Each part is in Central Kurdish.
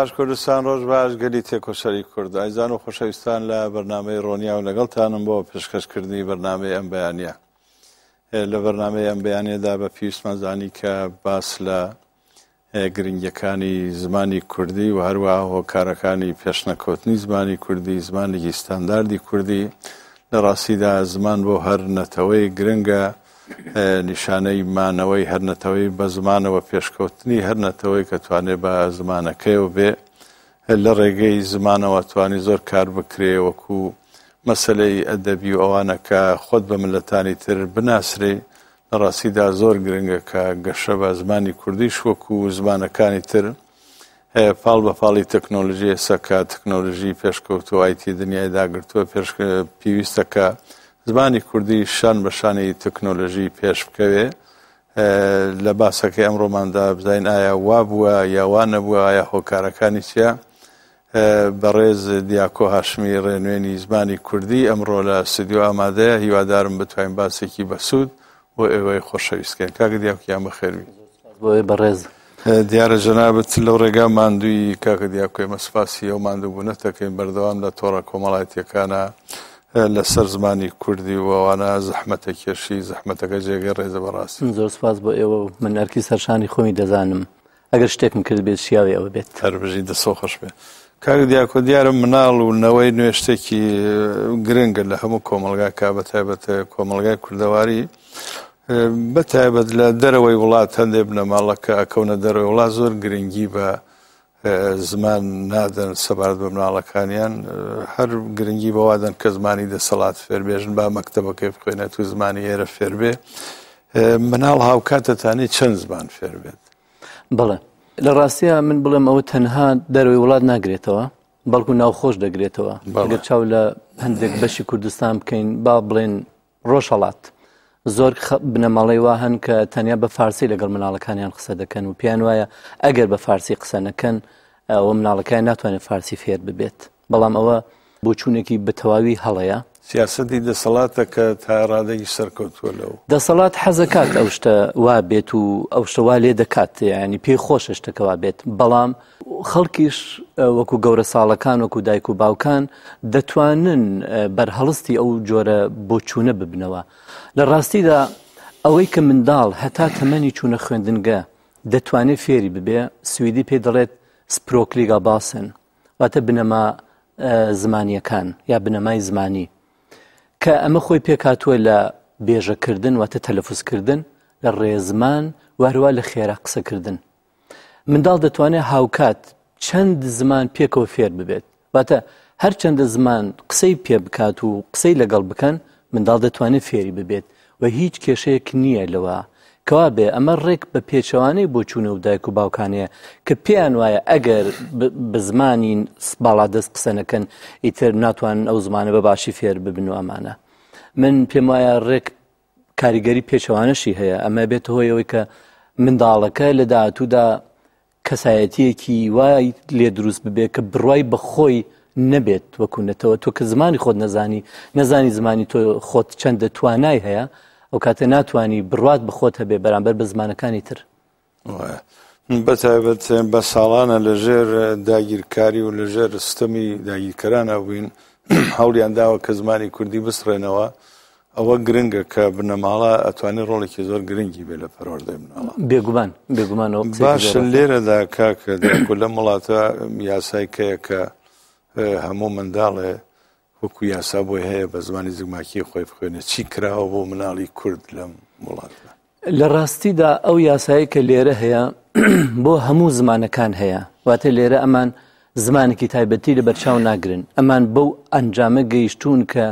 باش کوردستان، ڕۆژ باش گەلی تێکۆشەری کورد. ئایزان و خۆشەویستان لە بەرنامەی ڕۆنیا و لەگەڵتانم بۆ پێشکەشکردنی بەرنامەی ئەم بەیانە. لە بەرنامەی ئەم بەیانەدا بە پێویستمان زانی کە باس لە گرنگیەکانی زمانی کوردی و هەروەها هۆکارەکانی پێشنەکەوتنی زمانی کوردی، زمانێکی ستانداردی کوردی. لە ڕاستیدا زمان بۆ هەر نەتەوەی گرنگە، نیشانەی مانەوەی هەر نەتەوەی بە زمانەوە پێشکەوتنی هەر نەتەوەی کە توانێ بە زمانەکەیەوە بێ لە ڕێگەی زمانەوە توانی زۆر کار بکرێ وەکو مەسەلەی ئەدەبی و ئەوانە کە خۆت بە ملەتانی تر بناسرێ لە ڕاستیدا زۆر گرنگە کە گەشە بە زمانی کوردیش وەکو زمانەکانی تر پاڵ بە پاڵی تەکنۆلژی ئێستا کە تەکنۆلژی پێشکەوتووە ئایتی دنیای داگرتووە پێش پێویستە کە زمانی کوردی شان بە شانی تەکنۆلژی پێش بکەوێ لە باسەکەی ئەمڕۆماندا بزانین ئایا وا بووە یا وا نەبووە ئایا هۆکارەکانی چییە بەڕێز دیاکۆ هاشمی ڕێنوێنی زمانی کوردی ئەمڕۆ لە ستۆدیۆ ئامادەیە، هیوادارم بتوانین باسێکی بەسوود بۆ ئێوەی خۆشەویست کەین. کاکە دیاکۆ گیان بەخێربی. بۆ بەڕێز. دیارە جەنابت لەو ڕێگا ماندووی کاکە دیاکۆ، ئێمە سپاسی ئەو ماندووبوونەت دەکەین، بەردەوام لە تۆڕە کۆمەڵایەتییەکانە لەسەر زمانی کوردی و ئەوانە زەحمەتە کێشی، زەحمەتەکە جێگەی ڕێزە بەڕاستی. زۆر سپاس بۆ ئێوە و من ئەرکی سەرشانی خۆمی دەزانم. ئەگەر شتێکم کردبێت شیاوی ئەوە بێت. هەر بژی دەستۆ خۆش بێ. کاک دیاکۆ دیارە مناڵ و نەوەی نوێ شتێکی گرنگە لە هەموو کۆمەڵگاکە بە تایبەت کۆمەڵگای کوردەواری بە تایبەت لە دەرەوەی وڵات هەندێک بنەماڵە کە ئەکەونە دەرەوەی وڵات زۆر گرنگی بە زمان نادەن سەبارەت بە مناڵەکانیان هەر گرنگی بەوادەن کە زمانی دەسەڵات فێربێژن با مەکتەبەکەی بخوێنێت و زمانی ئێرە فێربێ مناڵ هاوکات دەتانی چەند زمان فێر بێت؟ بەڵێ لە ڕاستیا من بڵێم ئەوە تەنها دەرەوەی وڵات ناگرێتەوە بەڵکو ناوخۆش دەگرێتەوە ئەگەر چاو لە هەندێک بەشی کوردستان بکەین با بڵێن ڕۆژهەڵات زۆر بنەماڵەی وا هەن کە تەنیا بە فارسی لەگەڵ مناڵەکانیان قسە دەکەن و پێیان وایە ئەگەر بە فارسی قسە نەکەن ئەوە مناڵەکەیان ناتوانێت فارسی فێر ببێت بەڵام ئەوە بۆچوونێکی بە تەواوی هەڵەیە. سیاسەتی دەسەڵاتە کە تا ڕادەیەکی سەرکەوتووە لەو. دەسەڵات حەزەکات ئەو شتە وا بێت و ئەو شتە وا لێ دەکات یانی پێی خۆشە شتەکە وا بێت بەڵام خەڵکیش وەکو گەورە ساڵەکان وەکو دایک و باوکان دەتوانن بەرهەڵستی ئەو جۆرە بۆچوونە ببنەوە لە ڕاستیدا ئەوەی کە منداڵ هەتا تەمەنی چوونە خوێندنگە دەتوانێت فێری ببێ سویدی پێ دەڵێت سپرۆکلیگا باسن واتە بنەما زمانیەکان یا بنەمای زمانی کە ئەمە خۆی پێکهاتووە لە بێژەکردن واتە تەلەفزکردن لە ڕێزمان وهروە لە خێرا قسەکردن منداڵ دەتوانێت هاوکات چەند زمان پێکەوە فێر ببێت واتە هەرچەندە زمان قسەی پێ بکات و قسەی لەگەڵ بکەن منداڵ دەتوانێت فێری ببێت و هیچ کێشەیەک نییە لەوە. کەوابێ ئەمە ڕێک بە پێچەوانەی بۆچوونە و دایک و باوکانەیە کە پێیان وایە ئەگەر بە زمانی باڵادەست قسە نەکەن ئیتر ناتوانن ئەو زمانە بە باشی فێر ببن و ئەمانە. من پێم وایە ڕێک کاریگەری پێچەوانەشی هەیە ئەمە بێتە هۆی ئەوەی کە منداڵەکە لە داهاتوودا کەسایەتییەکی وای لێ دروست ببێ کە بڕوای بە خۆی نەبێت وەکو نەتەوە تۆ کە زمانی خۆت نەزانی نەزانی زمانی تۆ خۆت چەندە توانای هەیە ئەو کاتە ناتوانی بڕوات بە خۆت هەبێ بەرامبەر بە زمانەکانی تر. بە تایبەت بە ساڵانە لەژێر داگیرکاری و لەژێر ستەمی داگیرکەرانە بووین هەوڵیان داوە کە زمانی کوردی بسڕێنەوە ئەوە گرنگە کە بنەماڵە ئەتوانێت ڕۆڵێکی زۆر گرنگی بێ لە پەروەردەی مناڵە. بێگومان بێگومان ئەوە قسەیەکی باشە زۆر ڕاستە. لێرەدا کاکە دیاکۆ لەم وڵاتە یاسای کەیە کە هەموو منداڵێ وەکو یاسا بۆی هەیە بە زمانی زگماکی خۆی بخوێنێت چی کراوە بۆ مناڵی کورد لەم وڵاتە؟ لە ڕاستیدا ئەو یاسایە کە لێرە هەیە بۆ هەموو زمانەکان هەیە واتە لێرە ئەمان زمانێکی تایبەتی لە بەرچاو ناگرن ئەمان بەو ئەنجامە گەیشتوون کە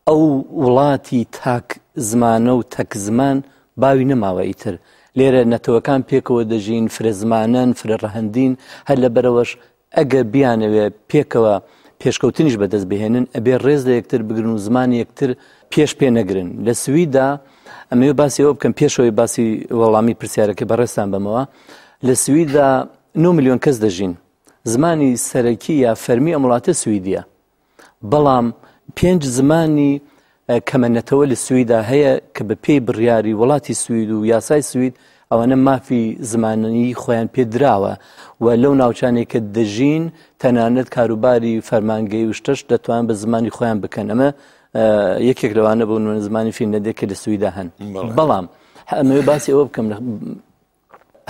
ئەو وڵاتی تاک زمانە و تەک زمان باوی نەماوە ئیتر لێرە نەتەوەکان پێکەوە دەژین فرە زمانەن فرە ڕەهەندین هەر لەبەرەوەش ئەگەر بیانەوێ پێکەوە پێشکەوتنیش بەدەست بهێنن ئەبێ ڕێز لە یەکتر بگرن و زمانی یەکتر پێش پێ نەگرن لە سویدا ئەمەوێ باسی ئەوە بکەم پێشەوەی باسی وەڵامی پرسیارەکەی بەڕێزتان بەمەوە لە سویدا 9 میلیۆن کەس دەژین زمانی سەرەکی یا فەرمی ئەم وڵاتە سویدیە بەڵام پێنج زمانی کەمە نەتەوە لە سویدا هەیە کە بە پێی بڕیاری وڵاتی سوید و یاسای سوید ئەوانە مافی زمانی خۆیان پێ دراوە و لەو ناوچانەی کە دەژین تەنانەت کاروباری فەرمانگەی و شتەش دەتوان بە زمانی خۆیان بکەن. ئەمە یەکێک لەوانە بۆ نمونە زمانی فینلەندی کە لە سویدا هەن. بەڵام ئەمەوێ باسی ئەوە بکەم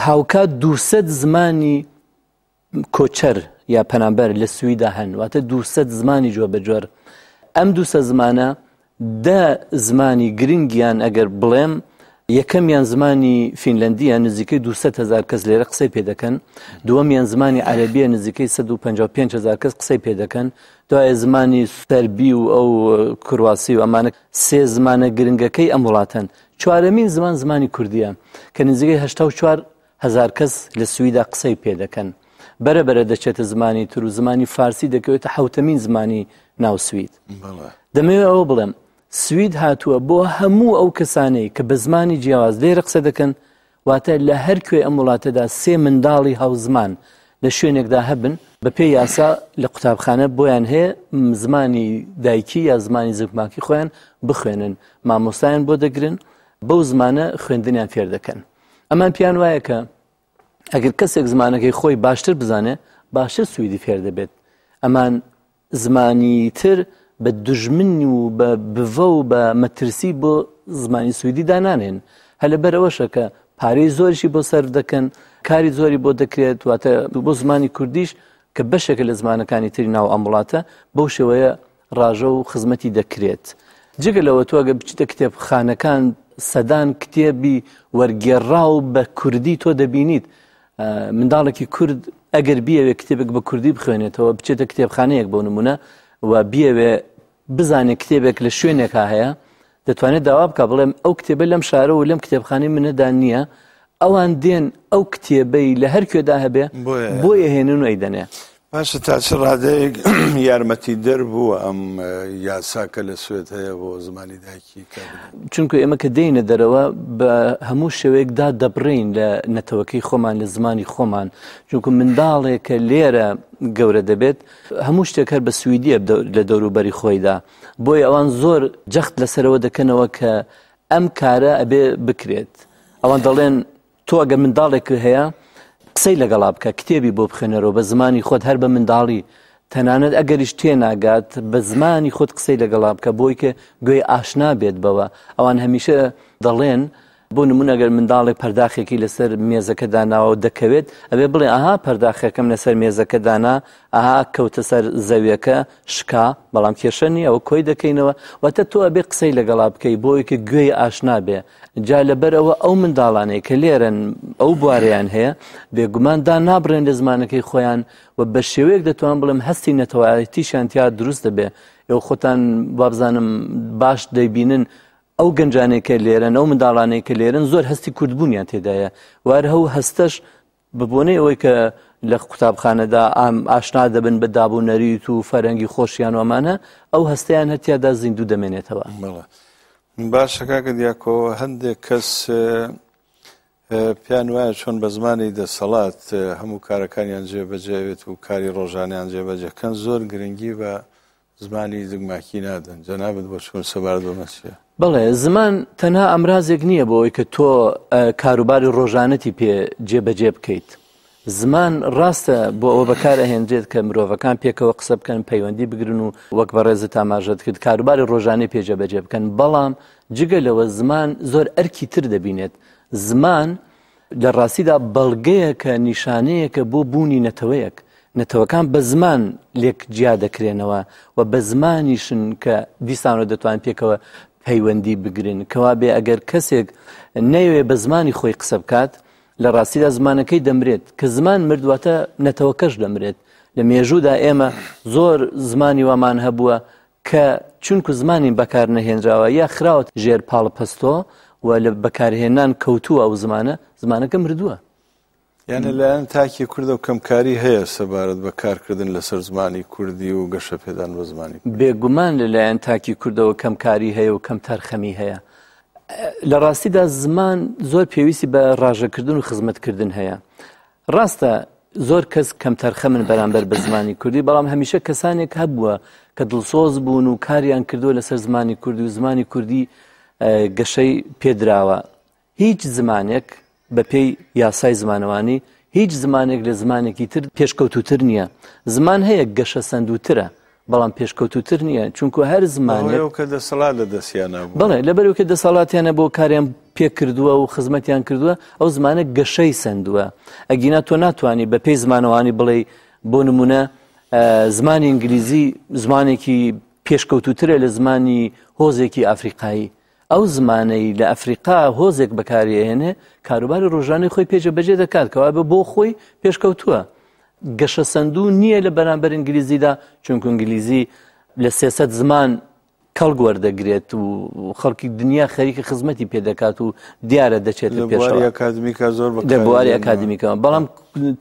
هاوکات 200 زمانی کۆچەر یا پەنابەر لە سویدا هەن، واتە 200 زمانی جۆر بە جۆر. ئەم 200 زمانە 10 زمانی گرنگیان ئەگەر بڵێم، یەکەمیان زمانی فینلەندیە، نزیکەی 200 هزار کەس لێرە قسەی پێ دەکەن. دووەمیان زمانی عەرەبیە، نزیکەی 155 هزار کەس قسەی پێ دەکەن. دوای زمانی سەربی و ئەو کرواسی و ئەمانە سێ زمانە گرنگەکەی ئەم وڵاتەن. چوارەمین زمان زمانی کوردیە کە نزیکەی 84 هزار کەس لە سویدا قسەی پێ دەکەن. بەرە بەرە دەچێتە زمانی تر و زمانی فارسی دەکەوێتە حوتەمین زمانی ناو سوید. دەمەوێت ئەوە بڵێم سوید هاتووە بۆ هەموو ئەو کەسانەی کە بە زمانی جیاواز لێرە قسە دەکەن، واتە لە هەر کوێ ئەم وڵاتەدا سێ منداڵی هاوزمان لە شوێنێکدا هەبن، بە پێی یاسا لە قوتابخانە بۆیان هەیە زمانی دایکی یا زمانی زگماکی خۆیان بخوێنن، مامۆستایان بۆ دەگرن، بەو زمانە خوێندنیان فێر دەکەن. ئەمان پیان وایە کە ئەگەر کەسێک زمانەکەی خۆی باشتر بزانێ باشتر سویدی فێر دەبێت. ئەمان زمانی تر بە دوژمن و بە بڤە و بە مەترسی بۆ زمانی سویدی دانانێن. هەر لەبەر ئەوەشە کە پارەی زۆریشی بۆ سەرف دەکەن، کاری زۆری بۆ دەکرێت، واتە بۆ زمانی کوردیش کە بەشێکە لە زمانەکانی تری ناو ئەم وڵاتە بەو شێوەیە ڕاژە و خزمەتی دەکرێت. جگە لەوە تۆ ئەگەر بچیتە کتێبخانەکان سەدان کتێبی وەرگێڕاو بە کوردی تۆ دەبینیت. منداڵێکی کورد ئەگەر بیەوێ کتێبێک بە کوردی بخوێنێتەوە، بچێتە کتێبخانەیەک بۆ نمونە و بیەوێ بزانێت کتێبێک لە شوێنێکا هەیە، دەتوانێت داوا بکە بڵێم ئەو کتێبە لەم شارە و لەم کتێبخانەی منەدا نییە، ئەوان دێن ئەو کتێبەی لە هەر کوێدا هەبێ بۆیە هێنن و ئەیدەنێ. باشە تا چ ڕادەیەک یارمەتی دەر بووە ئەم یاسا کە لە سوێد هەیە بۆ زمانی دایکی؟ چونکە ئێمە کە دێینە دەرەوە بە هەموو شێوەیەکدا دەبڕین لە نەتەوەکەی خۆمان، لە زمانی خۆمان، چونکە منداڵێک کە لێرە گەورە دەبێت هەموو شتێک هەر بە سویدیە لە دەوروبەری خۆیدا، بۆیە ئەوان زۆر جەخت لەسەرەوە دەکەنەوە کە ئەم کارە ئەبێ بکرێت. ئەوان دەڵێن تۆ ئەگەر منداڵێک هەیە قسەی لەگەڵا بکە، کتێبی بۆ بخوێنەرەوە بە زمانی خۆت هەر بە منداڵی، تەنانەت ئەگەریش تێناگات بە زمانی خۆت قسەی لەگەڵا بکە بۆی کە گوێی ئاشنا بێت بەوە. ئەوان هەمیشە دەڵێن بۆ نمونە ئەگەر منداڵێک پەرداخێکی لەسەر مێزەکە داناوە و دەکەوێت، ئەبێ بڵێ ئەها پەرداخەکەم لەسەر مێزەکە دانا، ئەها کەوتە سەر زەویەکە شکا، بەڵام کێشە نییە ئەوە کۆی دەکەینەوە. واتە تۆ ئەبێ قسەی لەگەڵا بکەی بۆی کە گوێی ئاشنا بێ. جا لەبەر ئەوە ئەو منداڵانەی کە لێرەن ئەو بوارەیان هەیە بێگومان دا نابڕێن لە زمانەکەی خۆیان و بە شێوەیەک دەتوان بڵێم هەستی نەتەوایەتیشیان تیا دروست دەبێ. ئێوە خۆتان وابزانم باش دەیبینن ئەو گەنجانەی کە لێرەن، ئەو منداڵانەی کە لێرن زۆر هەستی کوردبوونیان تێدایە، وار هەو هەستەش بە بۆنەی ئەوەی کە لە قوتابخانەدا ئاشنا دەبن بە داب و نەریت و فەرەنگی خۆشیان و ئەمانە، ئەو هەستەیان هەتیادا زیندوو دەمێنێتەوە. باشە کاکە دیاکۆ، هەندێک کەس پێیان وایە چۆن بە زمانی دەسەڵات هەموو کارەکانیان جێبەجێ بێت و کاری ڕۆژانیان جێبەجێکەن، زۆر گرنگی بە زمانی زگماکی نادەن. جەنابت بۆ چۆن سەبارەت بە مەسیە؟ بەڵێ، زمان تەنها ئامرازێک نییە بۆ ئەوەی کە تۆ کاروباری ڕۆژانەتی پێ جێبەجێ بکەیت. زمان ڕاستە بۆ ئەوە بەکار ئەهێنرێت کە مرۆڤەکان پێکەوە قسە بکەن، پەیوەندی بگرن و وەک بەڕێزت ئاماژەت کرد کاروباری ڕۆژانەی پێ جێبەجێ بکەن، بەڵام جگە لەوە زمان زۆر ئەرکی تر دەبینێت. زمان لە ڕاستیدا بەڵگەیەکە، نیشانەیەکە بۆ بوونی نەتەوەیەک. نەتەوەکان بە زمان لێک جیا دەکرێنەوە و بە زمانیشن کە دیسانەوە دەتوان پێکەوە پەیوەندی بگرن. کەوا بێ ئەگەر کەسێک نەیەوێ بە زمانی خۆی قسە بکات، لە ڕاستیدا زمانەکەی دەمرێت. کە زمان مرد واتە نەتەوەکەش دەمرێت. لە مێژوودا ئێمە زۆر زمانی وامان هەبووە کە چونکو زمانی بەکار نەهێنراوە یا خراوەت ژێر پاڵپەستۆ و لە بەکارهێنان کەوتووە ئەو زمانە، زمانەکە مردووە. یعنی لایەن تاکی کوردە و کەمکاری هەیە سەبارەت بە کارکردن لەسەر زمانی کوردی و گەشەپێدان بە زمانی کوردی؟ بێگومان لەلایەن تاکی کوردەوە کەمکاری هەیە و کەمتەرخەمی هەیە. لە ڕاستیدا زمان زۆر پێویستی بە ڕاژەکردن و خزمەتکردن هەیە. ڕاستە زۆر کەس کەمتەرخەمن بەرامبەر بە زمانی کوردی، بەڵام هەمیشە کەسانێک هەبووە کە دڵسۆز بوون و کاریان کردووە لەسەر زمانی کوردی و زمانی کوردی گەشەی پێدراوە. هیچ زمانێک بەپێی یاسای زمانەوانی هیچ زمانێک لە زمانێکی تر پێشکەوتووتر نییە. زمان هەیە گەشەسەندووترە، بەڵام پێشکەوتووتر نییە، چونکو هەر زمانێک. بەهۆی ئەو کە دەسەڵات لە دەستیانا بووە. بەڵێ، لەبەرئەوەی کە دەسەڵاتیان هەبووە و کاریان پێ کردووە و خزمەتیان کردووە، ئەو زمانە گەشەی سەندووە. ئەگینا تۆ ناتوانی بەپێی زمانەوانی بڵێی بۆ نموونە زمانی ئینگلیزی زمانێکی پێشکەوتووترە لە زمانی هۆزێکی ئەفریقایی. ئەو زمانەی لە ئەفریقا هۆزێک بەکاری ئەهێنێ کاروباری ڕۆژانەی خۆی پێ جێبەجێ دەکات کەوابێ بۆ خۆی پێشکەوتووە گەشەسەندوو نییە لە بەرامبەر ئینگلیزیدا چونکو ئینگلیزی لە سێسەد زمان کەڵک وەردەگرێت و خەڵکی دنیا خەریکە خزمەتی پێ دەکات و دیارە دەچێت لە بواری ئەکادمیکا زۆر لە بواری ئەکادمیکەوە بەڵام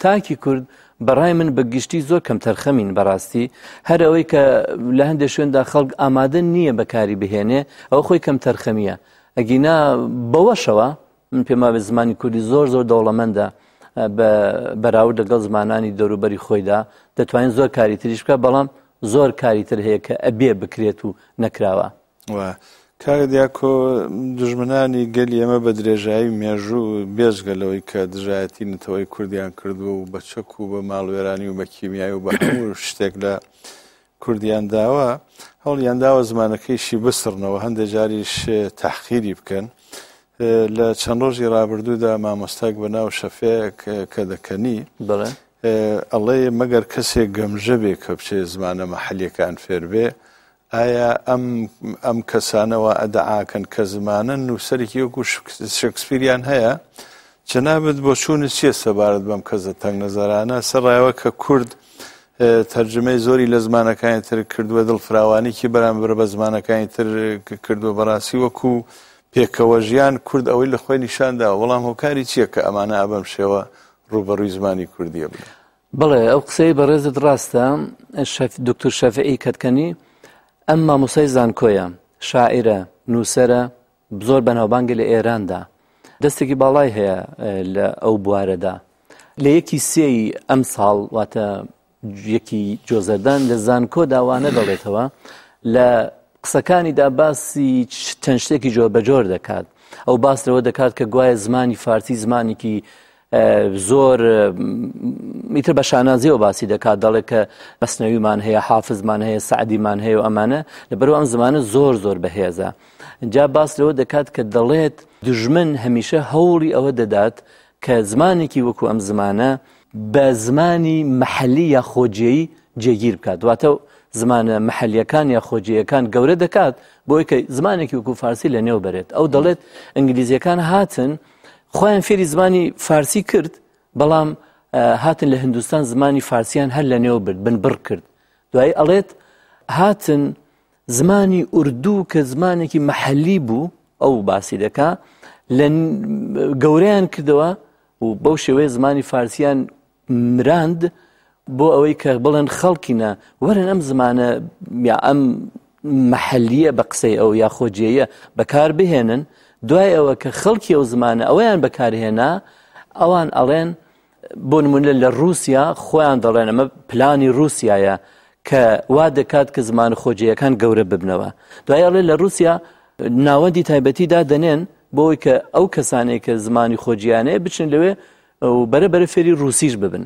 تاکی کورد بەڕای من بە گشتی زۆر کەمتەرخەمین بەڕاستی هەر ئەوەی کە لە هەندێک شوێندا خەڵک ئامادە نییە بەکاری بهێنێ ئەو خۆی کەمتەرخەمیە ئەگینا بەوەشەوە من پێم وابێ زمانی کوردی زۆر زۆر دەوڵەمەندە بە بەراورد لەگەڵ زمانانی دەوروبەری خۆیدا دەتوانین زۆر کاری تریش بکە بەڵام زۆر کاری تر هەیە کە ئەبێ بکرێت و نەکراوە. و کاک دیاکۆ دوژمنانی گەلی ئێمە بە درێژایی مێژوو بێجگە لەوەی کە دژایەتی نەتەوەی کوردیان کردووە و بە چەک و بە ماڵوێرانی و بە کیمیایی و بە هەموو شتێک لە کوردیان داوە هەوڵیان داوە زمانەکەیشی بسڕنەوە هەندێک جاریش تەحقیری بکەن لە چەند ڕۆژی ڕابردوودا مامۆستاک بە ناو شەفێک کە دەکەنی ئەڵێ مەگەر کەسێک گەمژە بێ کە بچێ زمانە مەحەلیەکان فێر بێ ئایا ئەم ئەم کەسانە وا ئەدەعاکەن کە زمانن نووسەرێکی وەکو شکسپیریان هەیە؟ جەنابت بۆچوونت چییە سەبارەت بەم کەسە تەنگنەزەرانە سەرڕایەوە کە کورد تەرجمەی زۆری لە زمانەکانی تر کردووە دڵفراوانیکی بەرامبەر بە زمانەکانی تر کردووە بەڕاستی وەکو پێکەوە ژیان کورد ئەوەی لە خۆی نیشان داوە بەڵام هۆکاری چییە کە ئەمانە ئەبەم شێوە ڕووبەڕووی زمانی کوردیە بن؟ بەڵێ ئەو قسەی بەڕێزت ڕاستە دکتور شەفعی کەتکەنی ئەم مامۆسای زانکۆیە شاعیرە نووسەرە زۆر بەناوبانگە لە ئێراندا دەستێکی باڵای هەیە لە ئەو بوارەدا لە یەکی سێی ئەم ساڵ واتە یەکی جۆزەردان لە زانکۆدا وانە دەڵێتەوە لە قسەکانیدا باسی چەند شتێکی جۆر بەجۆر دەکات ئەو باس لەوە دەکات کە گوایە زمانی فارسی زمانێکی زۆر ئیتر بە شانازیەوە باسی دەکات دەڵێ کە مەسنەویمان هەیە حافزمان هەیە سعدیمان هەیە و ئەمانە لەبەرو ئەم زمانە زۆر زۆر بەهێزە جا باس لەوە دەکات کە دەڵێت دژمن هەمیشە هەوڵی ئەوە دەدات کە زمانێکی وەکو ئەم زمانە بە زمانی محلی یا خۆجێی جێگیر بکات واتە زمانە محلیەکان یا خۆجێیەکان گەورە دەکات بۆی کە زمانێکی وەکو فارسی لە نێو بەرێت ئەو دەڵێت ئینگلیزیەکان هاتن خۆیان فێری زمانی فارسی کرد بەڵام هاتن لە هندستان زمانی فارسیان هەر لە نێو برد بن بڕ کرد دوایی ئەڵێت هاتن زمانی ئوردوو کە زمانێکی محەلی بوو ئەو باسی دەکا لە گەورەیان کردەوە و بەو شێوەیە زمانی فارسیان مراند بۆ ئەوەی کە بڵێن خەڵکینە وەرن ئەم زمانە یا ئەم مەحەلیە بە قسەی ئەو یا خۆجێیە بەکار بهێنن دوای ئەوە کە خەڵکی ئەو زمانە ئەویان بەکارهێنا ئەوان ئەڵێن بۆ نمونە لە رووسیا خۆیان دەڵێن ئەمە پلانی رووسایە کە وا دەکات کە زمان خۆجێیەکان گەورە ببنەوە دوای ئەڵێ لە رووسیا ناوەندی تایبەتی دادەنێن بۆی کە ئەو کەسانێک کە زمانی خۆجیانەیە بچن لەوێ و بەرە بەرە فێری ڕووسیش ببن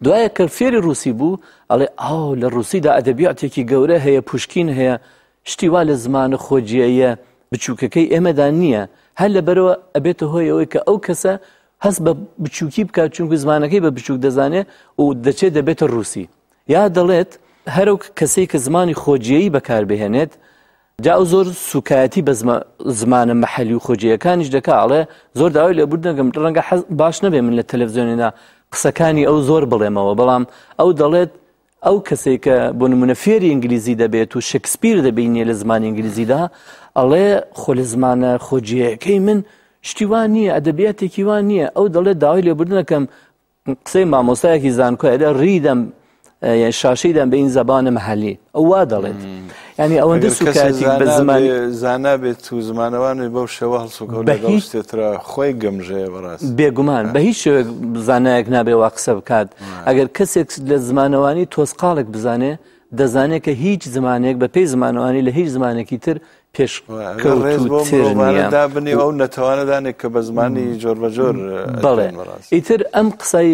دوایە کە فێری ڕووسی بوو ئەڵێ ئاو لە ڕووسیدا ئەدەبیاتێکی گەورە هەیە پوشکین هەیە شتی وا لە زمانە خۆجیەیە بچووکەکەی ئێمەدا نییە هەر لەبەرەوە ئەبێتە هۆی ئەوەی کە ئەو کەسە هەست بە بچووکی بکات چونکو زمانەکەی بە بچووک دەزانێت و دەچێت دەبێتە ڕووسی یا دەڵێت هەرو کەسێک کە زمانی خۆجێی بەکاربهێنێت جا ئەو زۆر سوکایەتی بە زمانە مەحەلی و خۆجێیەکانیش دەکا ئەڵێ زۆر داوای لێبوردن دەکەم ڕەنگە حەز باش نەبێ من لە تەلەڤزیۆنێدا قسەکانی ئەو زۆر بڵێمەوە بەڵام ئەو دەڵێت ئەو کەسێک کە بۆ نمونە فێری ئینگلیزی دەبێت و شکسپیر دەبینێ لە زمانی ئینگلیزیدا ئەڵێ خۆ لە زمانە خۆجێیەکەی من شتی وا نییە ئەدەبیاتێکی وا نییە ئەو دەڵێت داوای لێبوردن دەکەم قسەی مامۆستایەکی زانکۆیە دە ڕیدەم شاشەی دەم بە این زبان محلی ئەو وا دەڵێت ینی ئەوەندە سوکایەتی بە زمانی زانا بێت و زمانەوان بەو شێوە هەڵسوکەوت لەگەڵ شتێترا خۆی گەمژەیە بەڕاست بێگومان بە هیچ شێوەیەک زانایەک نابێ وا قسە بکات ئەگەر کەسێک لە زمانەوانی تۆزقاڵێک بزانێ دەزانێت کە هیچ زمانێک بە پێی زمانەوانی لە هیچ زمانێکی تر پێشکەوتووتر نییە. دابنێ ئەو نەتەوانە دانێک کە بە زمانی جۆربەجۆر بەڵێ. ئیتر ئەم قسەی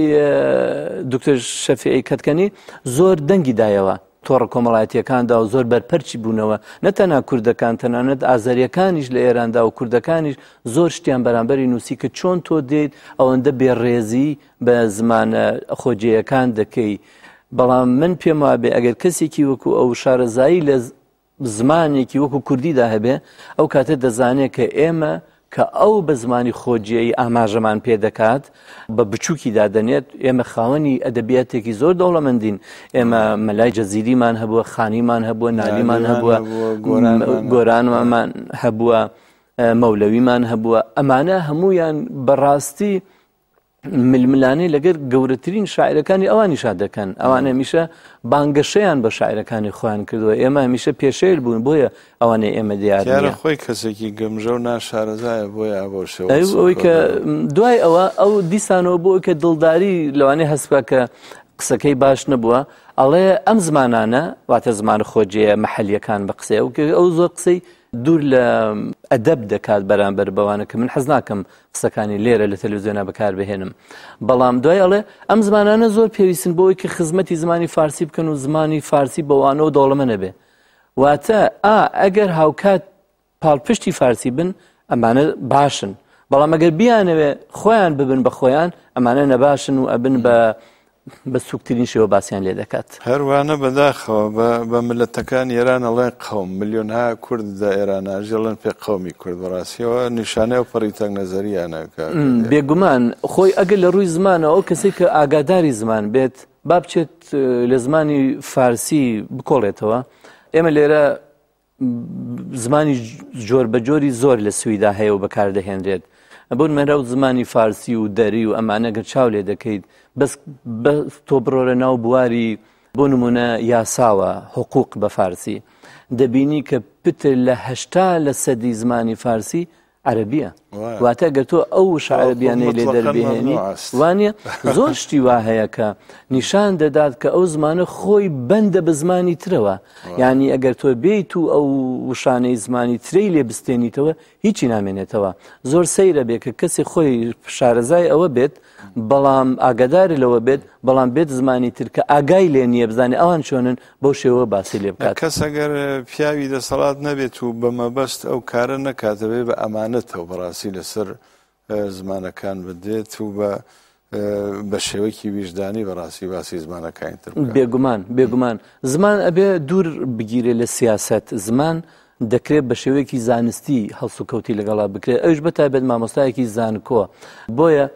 دکتۆر شەفیعی کەتکەنی زۆر دەنگی دایەوە تۆڕە کۆمەڵایەتیەکاندا و زۆر بەرپەرچی بوونەوە نە تەنها کوردەکان تەنانەت ئازەریەکانیش لە ئێراندا و کوردەکانیش زۆر شتیان بەرامبەری نووسی کە چۆن تۆ دێیت ئەوەندە بێڕێزی بە زمانە خۆجێیەکان دەکەی بەڵام من پێم وابێ ئەگەر کەسێکی وەکو ئەو شارەزایی لە زمانێکی وەکو کوردیدا هەبێ ئەو کاتە دەزانێت کە ئێمە کە ئەو بە زمانی خۆجێی ئاماژەمان پێ دەکات بە بچووکی دادەنێت ئێمە خاوەنی ئەدەبیاتێکی زۆر دەوڵەمەندین ئێمە مەلای جەزیریمان هەبووە خانیمان هەبووە نالیمان هەبووە گۆرانمان هەبووە مەولەویمان هەبووە ئەمانە هەمویان بەڕاستی ململانێ لەگەر گەورەترین شاعرەکانی ئەوانیشا دەکەن ئەوان هەمیشە بانگەشەیان بە شاعرەکانی خۆیان کردووە ئێمە هەمیشە پێشێل بوون بۆیە ئەوانەی ئێمە دیار دیارە خۆی کەسێکی گەمژە و ناشارەزایە بۆیە ئەوە شێوە ئەوەی کە دوای ئەوە ئەو دیسانەوە بۆ کە دڵداری لەوانەیە هەست بکە کە قسەکەی باش نەبووە ئەڵێ ئەم زمانانە واتە زمان خۆجێیە محلیەکان بە قسەی ئەو زۆر قسەی دوور لە ئەدەب دەکات بەرامبەر بەوانە کە من حەز ناکەم قسەکانی لێرە لە تەلەڤزیۆنا بەکاربهێنم بەڵام دوای ئەڵێ ئەم زمانانە زۆر پێویستن بۆ ئەوەی کە خزمەتی زمانی فارسی بکەن و زمانی فارسی بەوانەوە دەوڵەمە نەبێ واتە ئا ئەگەر هاوکات پاڵپشتی فارسی بن ئەمانە باشن بەڵام ئەگەر بیانەوێ خۆیان ببن بە خۆیان ئەمانە نەباشن و ئەبن بە بە سوکترین شێوە باسیان لێ دەکات. هەروانە بەداخەوە بە بە ملەتەکانی ئێران ئەڵێن قەوم ملیۆنها کورد دە ئێران ئەژی ئەڵێن پێ قەومی کورد بەڕاستیەوە نیشانەی ئەو پەڕی تەنگ نەزەریانە کاک دیاکۆ. بێگومان خۆی ئەگەر لە ڕووی زمانەوە ئەو کەسەی کە ئاگاداری زمان بێت با بچێت لە زمانی فارسی بکۆڵێتەوە ئێمە لێرە زمانی جۆر بە جۆری زۆر لە سویدا هەیە و بەکاردەهێنرێت بۆ نموونە و زمانی فارسی و دەری و ئەمانە گەر چاو لێ دەکەیت بەس تۆ بڕۆرە ناو بواری بۆ نمونە یاساوە حقوق بە فارسی دەبینی کە پتر لە هەشتا لە سەدی زمانی فارسی عەرەبیە واتە گەر تۆ ئەو وشە عەرەبیانەی لێ دەربهێنی وانە زۆر شتی وا هەیە کە نیشان دەدات کە ئەو زمانە خۆی بەندە بە زمانی ترەوە یعنی ئەگەر تۆ بێیت و ئەو وشانەی زمانی ترەی لێ بستێنیتەوە هیچی نامێنێتەوە زۆر سەیرە بێ کە کەسی خۆی شارەزای ئەوە بێت بەڵام ئاگاداری لەوە بێت بەڵام بێت زمانی تر کە ئاگای لێ نییە بزانێ ئەوان چۆنن بەو شێوە باسی لێ بکات. کەس ئەگەر پیاوی دەسەڵات نەبێت و بە مەبەست ئەو کارە نەکات دەبێت بە ئەمانەتەوە بەڕاستی لەسەر زمانەکان بدرێت و بە بە شێوەیەکی ویژدانی بەڕاستی باسی زمانەکانی تر بکات. بێگومان بێگومان زمان ئەبێ دوور بگیرێ لە سیاسەت زمان دەکرێت بە شێوەیەکی زانستی هەڵسوکەوتی لەگەڵا بکرێت ئەوش بە تایبەت مامۆستایەکی زانکۆ بۆیە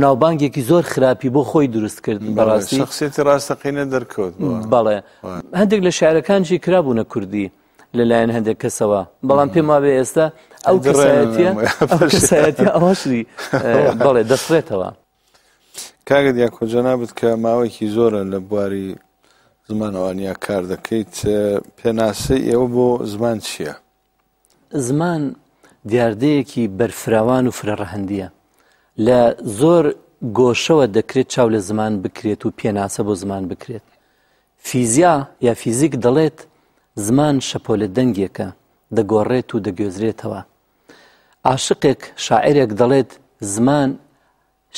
ناوبانگێکی زۆر خراپی بۆ خۆی دروست کرد بەڕاستی شخصیەتی ڕاستەقینە دەرکەوت بەڵێ هەندێک لە شارەکانشی کرابوونە کوردی لەلایەن هەندێک کەسەوە بەڵام پێم وابێ ئێستا ئەو کەسایەتیە ئەو کەسایەتیە ئەوەشی بەڵێ دەسڕێتەوە کاکە دیاکۆ جەنابت کە ماوەیەکی زۆرە لە بواری زمانەوانیا کار دەکەیت پێناسەی ئێوە بۆ زمان چییە؟ زمان دیاردەیەکی بەرفراوان و فرەڕەهەندییە. لە زۆر گۆشەوە دەکرێت چاو لە زمان بکرێت و پێناسە بۆ زمان بکرێت. فیزیا یا فیزیک دەڵێت زمان شەپۆلە دەنگێکە دەگۆڕێت و دەگوێزرێتەوە. عاشقێک، شاعیرێک دەڵێت زمان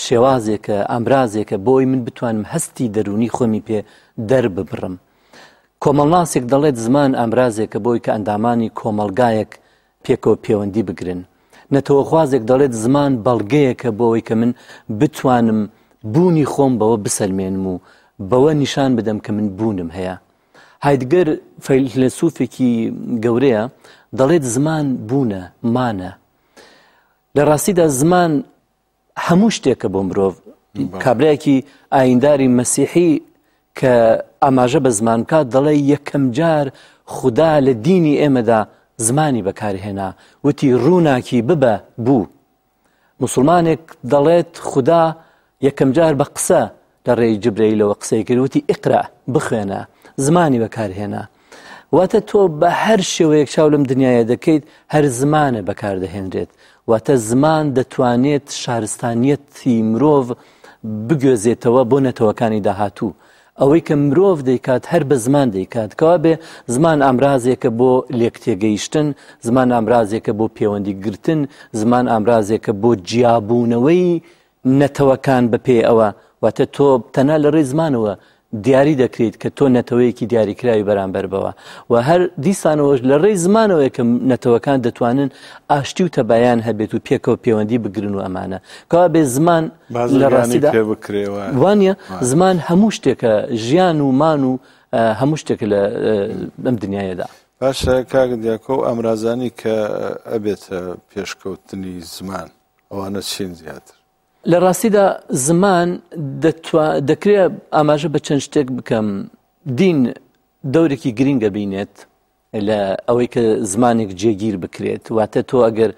شێوازێکە، ئامرازێکە بۆ ئەوەی من بتوانم هەستی دەروونی خۆمی پێ دەرببڕم. کۆمەڵناسێک دەڵێت زمان ئامرازێکە بۆی کە ئەندامانی کۆمەڵگایەک پێکەوە پێوەندی بگرن. نەتەوەخوازێک دەڵێت زمان بەڵگەیەکە بۆ ئەوەی کە من بتوانم بوونی خۆم بەوە بسەلمێنم و بەوە نیشان بدەم کە من بوونم هەیە. هایدگەر فەیلەسوفێکی گەورەیە دەڵێت زمان بوونە، مانە. لە ڕاستیدا زمان هەموو شتێکە بۆ مرۆڤ کابرایەکی ئاینداری مەسیحی کە ئاماژە بە زمان بکات دەڵێ یەکەم جار خودا لە دینی ئێمەدا زمانی بەکارهێنا وتی ڕووناکی ببە بوو مسلمانێک دەڵێت خودا یەکەم جار بە قسە لە ڕێی جبرەیلەوە قسەی کرد وتی اقرا بخوێنە زمانی بەکارهێنا واتە تۆ بە هەر شێوەیەک چاو لەم دنیاە دەکەیت هەر زمانە بەکاردەهێنرێت واتە زمان دەتوانێت شارستانیەتی مرۆڤ بگوێزێتەوە بۆ نەتەوەکانی داهاتوو. ئەوەی کە مرۆڤ دەیکات هەر بە زمان دەیکات. کەوابێ زمان ئامرازێکە بۆ لێکتێگەیشتن، زمان ئامرازێکە بۆ پێوەندی گرتن، زمان ئامرازێکە بۆ جیابوونەوەی نەتەوەکان بە پێی ئەوە. واتە تۆ تەنها لە ڕێی زمانەوە دیاری دەکریت کە تۆ نەتەوەیەکی دیاریکراوی بەرامبەر بەوە و هەر دیسانەوەش لە ڕێی زمانەوەیە کە نەتەوەکان دەتوانن ئاشتی و تەبایان هەبێت و پێکەوە پەیوەندی بگرن و ئەمانە کەوا بێ زمان لە ڕاستیدا وانە زمان هەموو شتێکە ژیان و مان و هەموو شتێکە لە ئەم دنیاەدا. باشە کاک دیاکۆ ئامرازانی کە ئەبێتە پێشکەوتنی زمان ئەوانە چین زیاتر؟ لە ڕاستیدا زمان دەکرێت ئاماژە بە چەند شتێک بکەم دین دەورێکی گرینگە بینێت لە ئەوەی کە زمانێک جێگیر بکرێت واتە تۆ ئەگەر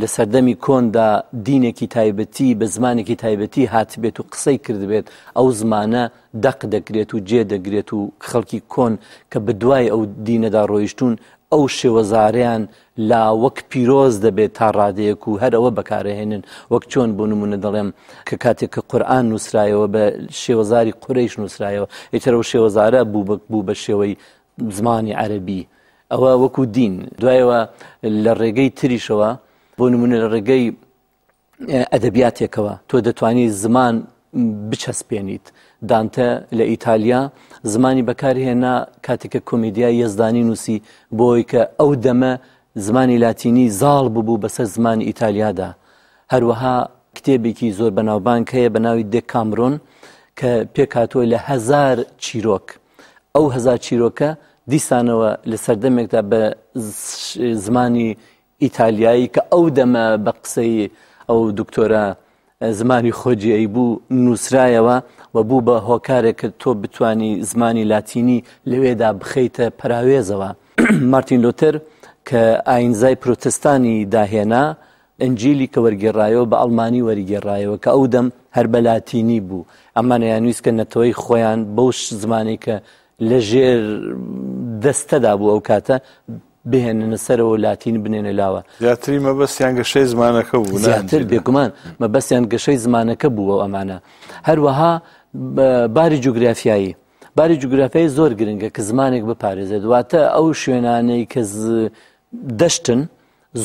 لە سەردەمی کۆندا دینێکی تایبەتی بە زمانێکی تایبەتی هاتبێت و قسەی کردبێت ئەو زمانە دەق دەگرێت و جێ دەگرێت و خەڵکی کۆن کە بەدوای ئەو دینەدا ڕۆیشتون ئەو شێوەزارەیان لا وەک پیرۆز دەبێت تا ڕادەیەک و هەر ئەوە بەکارەهێنن وەک چۆن بۆ نمونە دەڵێم کە کاتێک کە قورئان نووسرایەوە بە شێوەزاری قورەیش نووسرایەوە ئیتر ئەو شێوەزارە بوو بە بوو بە شێوەی زمانی عەرەبی ئەوە وەکو دین دوایەوە لە ڕێگەی تریشەوە بۆ نمونە لە ڕێگەی ئەدەبیاتێکەوە تۆ دەتوانی زمان بچەسپێنیت دانتە لە ئیتالیا زمانی بەکارهێنا کاتێک کە کۆمیدیای یەزدانی نووسی بۆی کە ئەو دەمە زمانی لاتینی زاڵ ببوو بەسەر زمانی ئیتالیادا هەروەها کتێبێکی زۆر بەناوبانگ هەیە بە ناوی دێکامرۆن کە پێکهاتووە لە هەزار چیرۆک ئەو هەزار چیرۆکە دیسانەوە لە سەردەمێکدا بە زمانی ئیتالیایی کە ئەو دەمە بە قسەی ئەو دکتۆرە زمانی خۆجێی بوو نووسرایەوە و بوو بە هۆکارێک کە تۆ بتانی زمانی لاتینی لەوێدا بخەیتە پەراوێزەوە. مارتین لۆتەر کە ئاینزای پرۆتستانی داهێنا، ئنجیلی کە وەرگێڕایەوە بە ئەڵمانی وەریگێڕایەوە کە ئەو دەم هەر بە لاتینی بوو. ئەمان ئەیانویست کە نەتەوەی خۆیان بەو زمانەی کە لە ژێر دەستەدا بوو ئەو کاتە بهێننە سەرەوە و لاتین بنێنە لاوە. زیاتری مەبەستیان گەشەی زمانەکە بوو. زیاتر بێگومان مەبەستیان گەشەی زمانەکە بوو ئەو ئەمانە. هەروەها باری جوگرافیایی. باری جوگرافیایی زۆر گرنگە کە زمانێک بپارێزێت واتە ئەو شوێنانەی کە دەشتن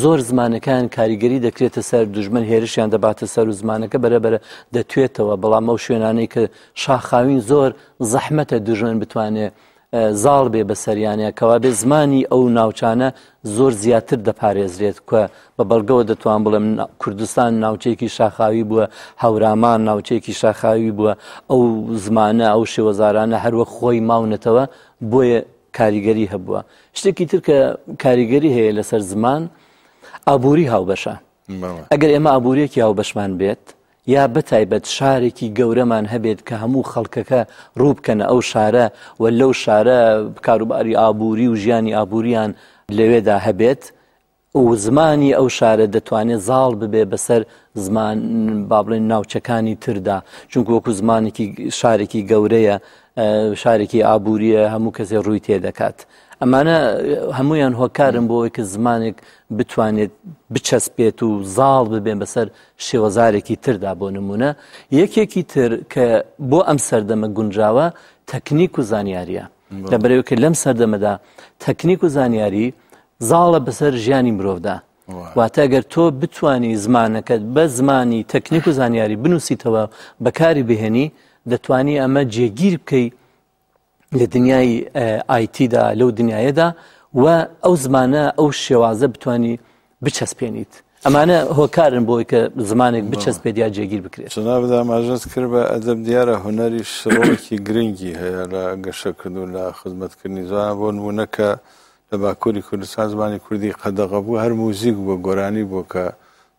زۆر زمانەکان کاریگەری دەکرێتە سەر دژمن هێرشیان دەباتە سەر و زمانەکە بەرەبەرە دەتوێتەوە بەڵام ئەو شوێنانەی کە شاخاوین زۆر زەحمەتە دژمن بتوانێت زاڵ بێ بەسەریانە کەوابێ زمانی ئەو ناوچانە زۆر زیاتر دەپارێزرێت کە بە بەڵگەوە دەتوان بڵێم کوردستان ناوچەیەکی شاخاوی بووە هەورامان ناوچەیەکی شاخاوی بووە ئەو زمانە ئەو شێوەزارانە هەروەک خۆی ماونەتەوە بۆیە کاریگەری هەبووە شتێکی تر کە کاریگەری هەیە لەسەر زمان ئابووری هاوبەشە ئەگەر ئێمە ئابووریەکی هاوبەشمان بێت یا بەتایبەت شارێکی گەورەمان هەبێت کە هەموو خەڵکەکە ڕوو بکەنە ئەو شارە و لەو شارە کاروباری ئابووری و ژیانی ئابووریان لەوێدا هەبێت و زمانی ئەو شارە دەتوانێت زاڵ ببێ بەسەر زمان با بڵێن ناوچەکانی تردا چونکە وەکو زمانێکی شارێکی گەورەیە شارێکی ئابووریە هەموو کەسێ ڕووی تێ دەکات ئەمانە هەمویان هۆکارن بۆ ئەوەی کە زمانێک بتوانێت بچەسپێت و زاڵ ببێن بەسەر شێوەزارێکی تردا بۆ نمونە یەکێکی تر کە بۆ ئەم سەردەمە گونجاوە تەکنیک و زانیاریە لەبەرەوە کە لەم سەردەمەدا تەکنیک و زانیاری زاڵە بەسەر ژیانی مرۆڤدا واتە گەر تۆ بتانی زمانەکەت بە زمانی تەکنیک و زانیاری بنووسیتەوە بەکاری بهێنی دەتوانی ئەمە جێگیر بکەی لە دنیای ئایتیدا لەو دنیاەدا و ئەو زمانە ئەو شێوازە بتانی بچەسپێنیت ئەمانە هۆکارن بۆی کە زمانێک بچەسپێت یا جێگیر بکرێت. جەنابت ئاماژەت کرد بە ئەدەب دیارە هونەریش ڕۆڵێکی گرنگی هەیە لە گەشەکردن و لە خزمەتکردنی زمان بۆ نموونە کە لە باکووری کوردستان زمانی کوردی قەدەغە بوو هەر موزیک بووە گۆرانی بووە کە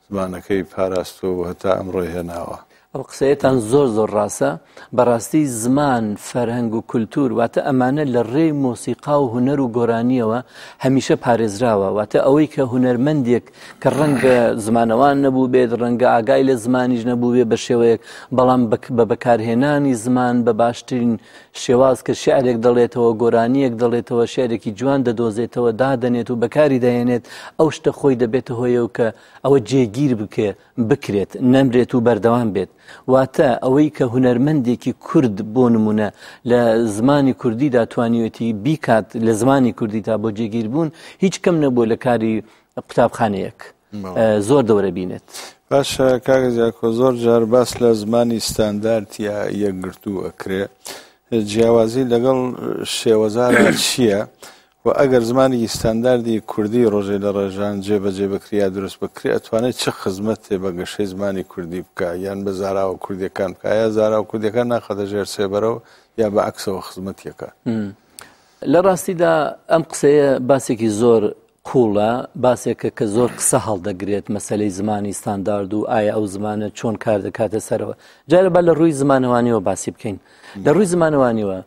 زمانەکەی پاراستووە و هەتا ئەمڕۆی هێناوە. ئەو قسەیەتان زۆر زۆر ڕاستە، بەڕاستی زمان، فەرهەنگ و کولتوور واتە ئەمانە لە ڕێی مۆسیقا و هونەر و گۆرانییەوە هەمیشە پارێزراوە، واتە ئەوەی کە هونەرمەندێک کە ڕەنگە زمانەوان نەبووبێت، ڕەنگە ئاگای لە زمانیش نەبووبێ بە شێوەیەک، بەڵام بە بەکارهێنانی زمان بە باشترین شێواز کە شیعرێک دەڵێتەوە، گۆرانییەک دەڵێتەوە، شیعرێکی جوان دەدۆزێتەوە، دادەنێت و بەکاری دەهێنێت، ئەو شتە خۆی دەبێتە هۆیەوە کە ئەوە جێگیر بکێ بکرێت، نەمرێت و بەردەوام بێت. واتە ئەوەی کە هونەرمەندێکی کورد بۆ نمونە لە زمانی کوردیدا توانیوێتی بیکات لە زمانی کوردیدا بۆ جێگیربوون هیچ کەم نەبووە لە کاری قوتابخانەیەک زۆر دەورە بینێت. باشە کاک دیاکۆ زۆر جار باس لە زمانی ستاندارد یا یەکگرتوو ئەکرێ جیاوازی لەگەڵ شێوەزارا چییە؟ و ئەگەر زمانێکی ستانداردی کوردی ڕۆژێ لە ڕێژان جێ بەجێ بکرێ یا دروست بکرێ ئەتوانێت چ خزمەتێ بە گەشەی زمانی کوردی بکا یان بە زاراوە کوردیەکان بکا یا زاراوە کوردیەکان ناخاتە ژێر سێبەرەوە یا بە عەکسەوە خزمەتیەکە؟ لە ڕاستیدا ئەم قسەیە باسێکی زۆر قووڵە، باسێکە کە زۆر قسە هەڵدەگرێت مەسەلەی زمانی ستاندارد و ئایا ئەو زمانە چۆن کار دەکاتە سەرەوە. جارە با لە ڕووی زمانەوانیەوە باسی بکەین. لە ڕووی زمانەوانیەوە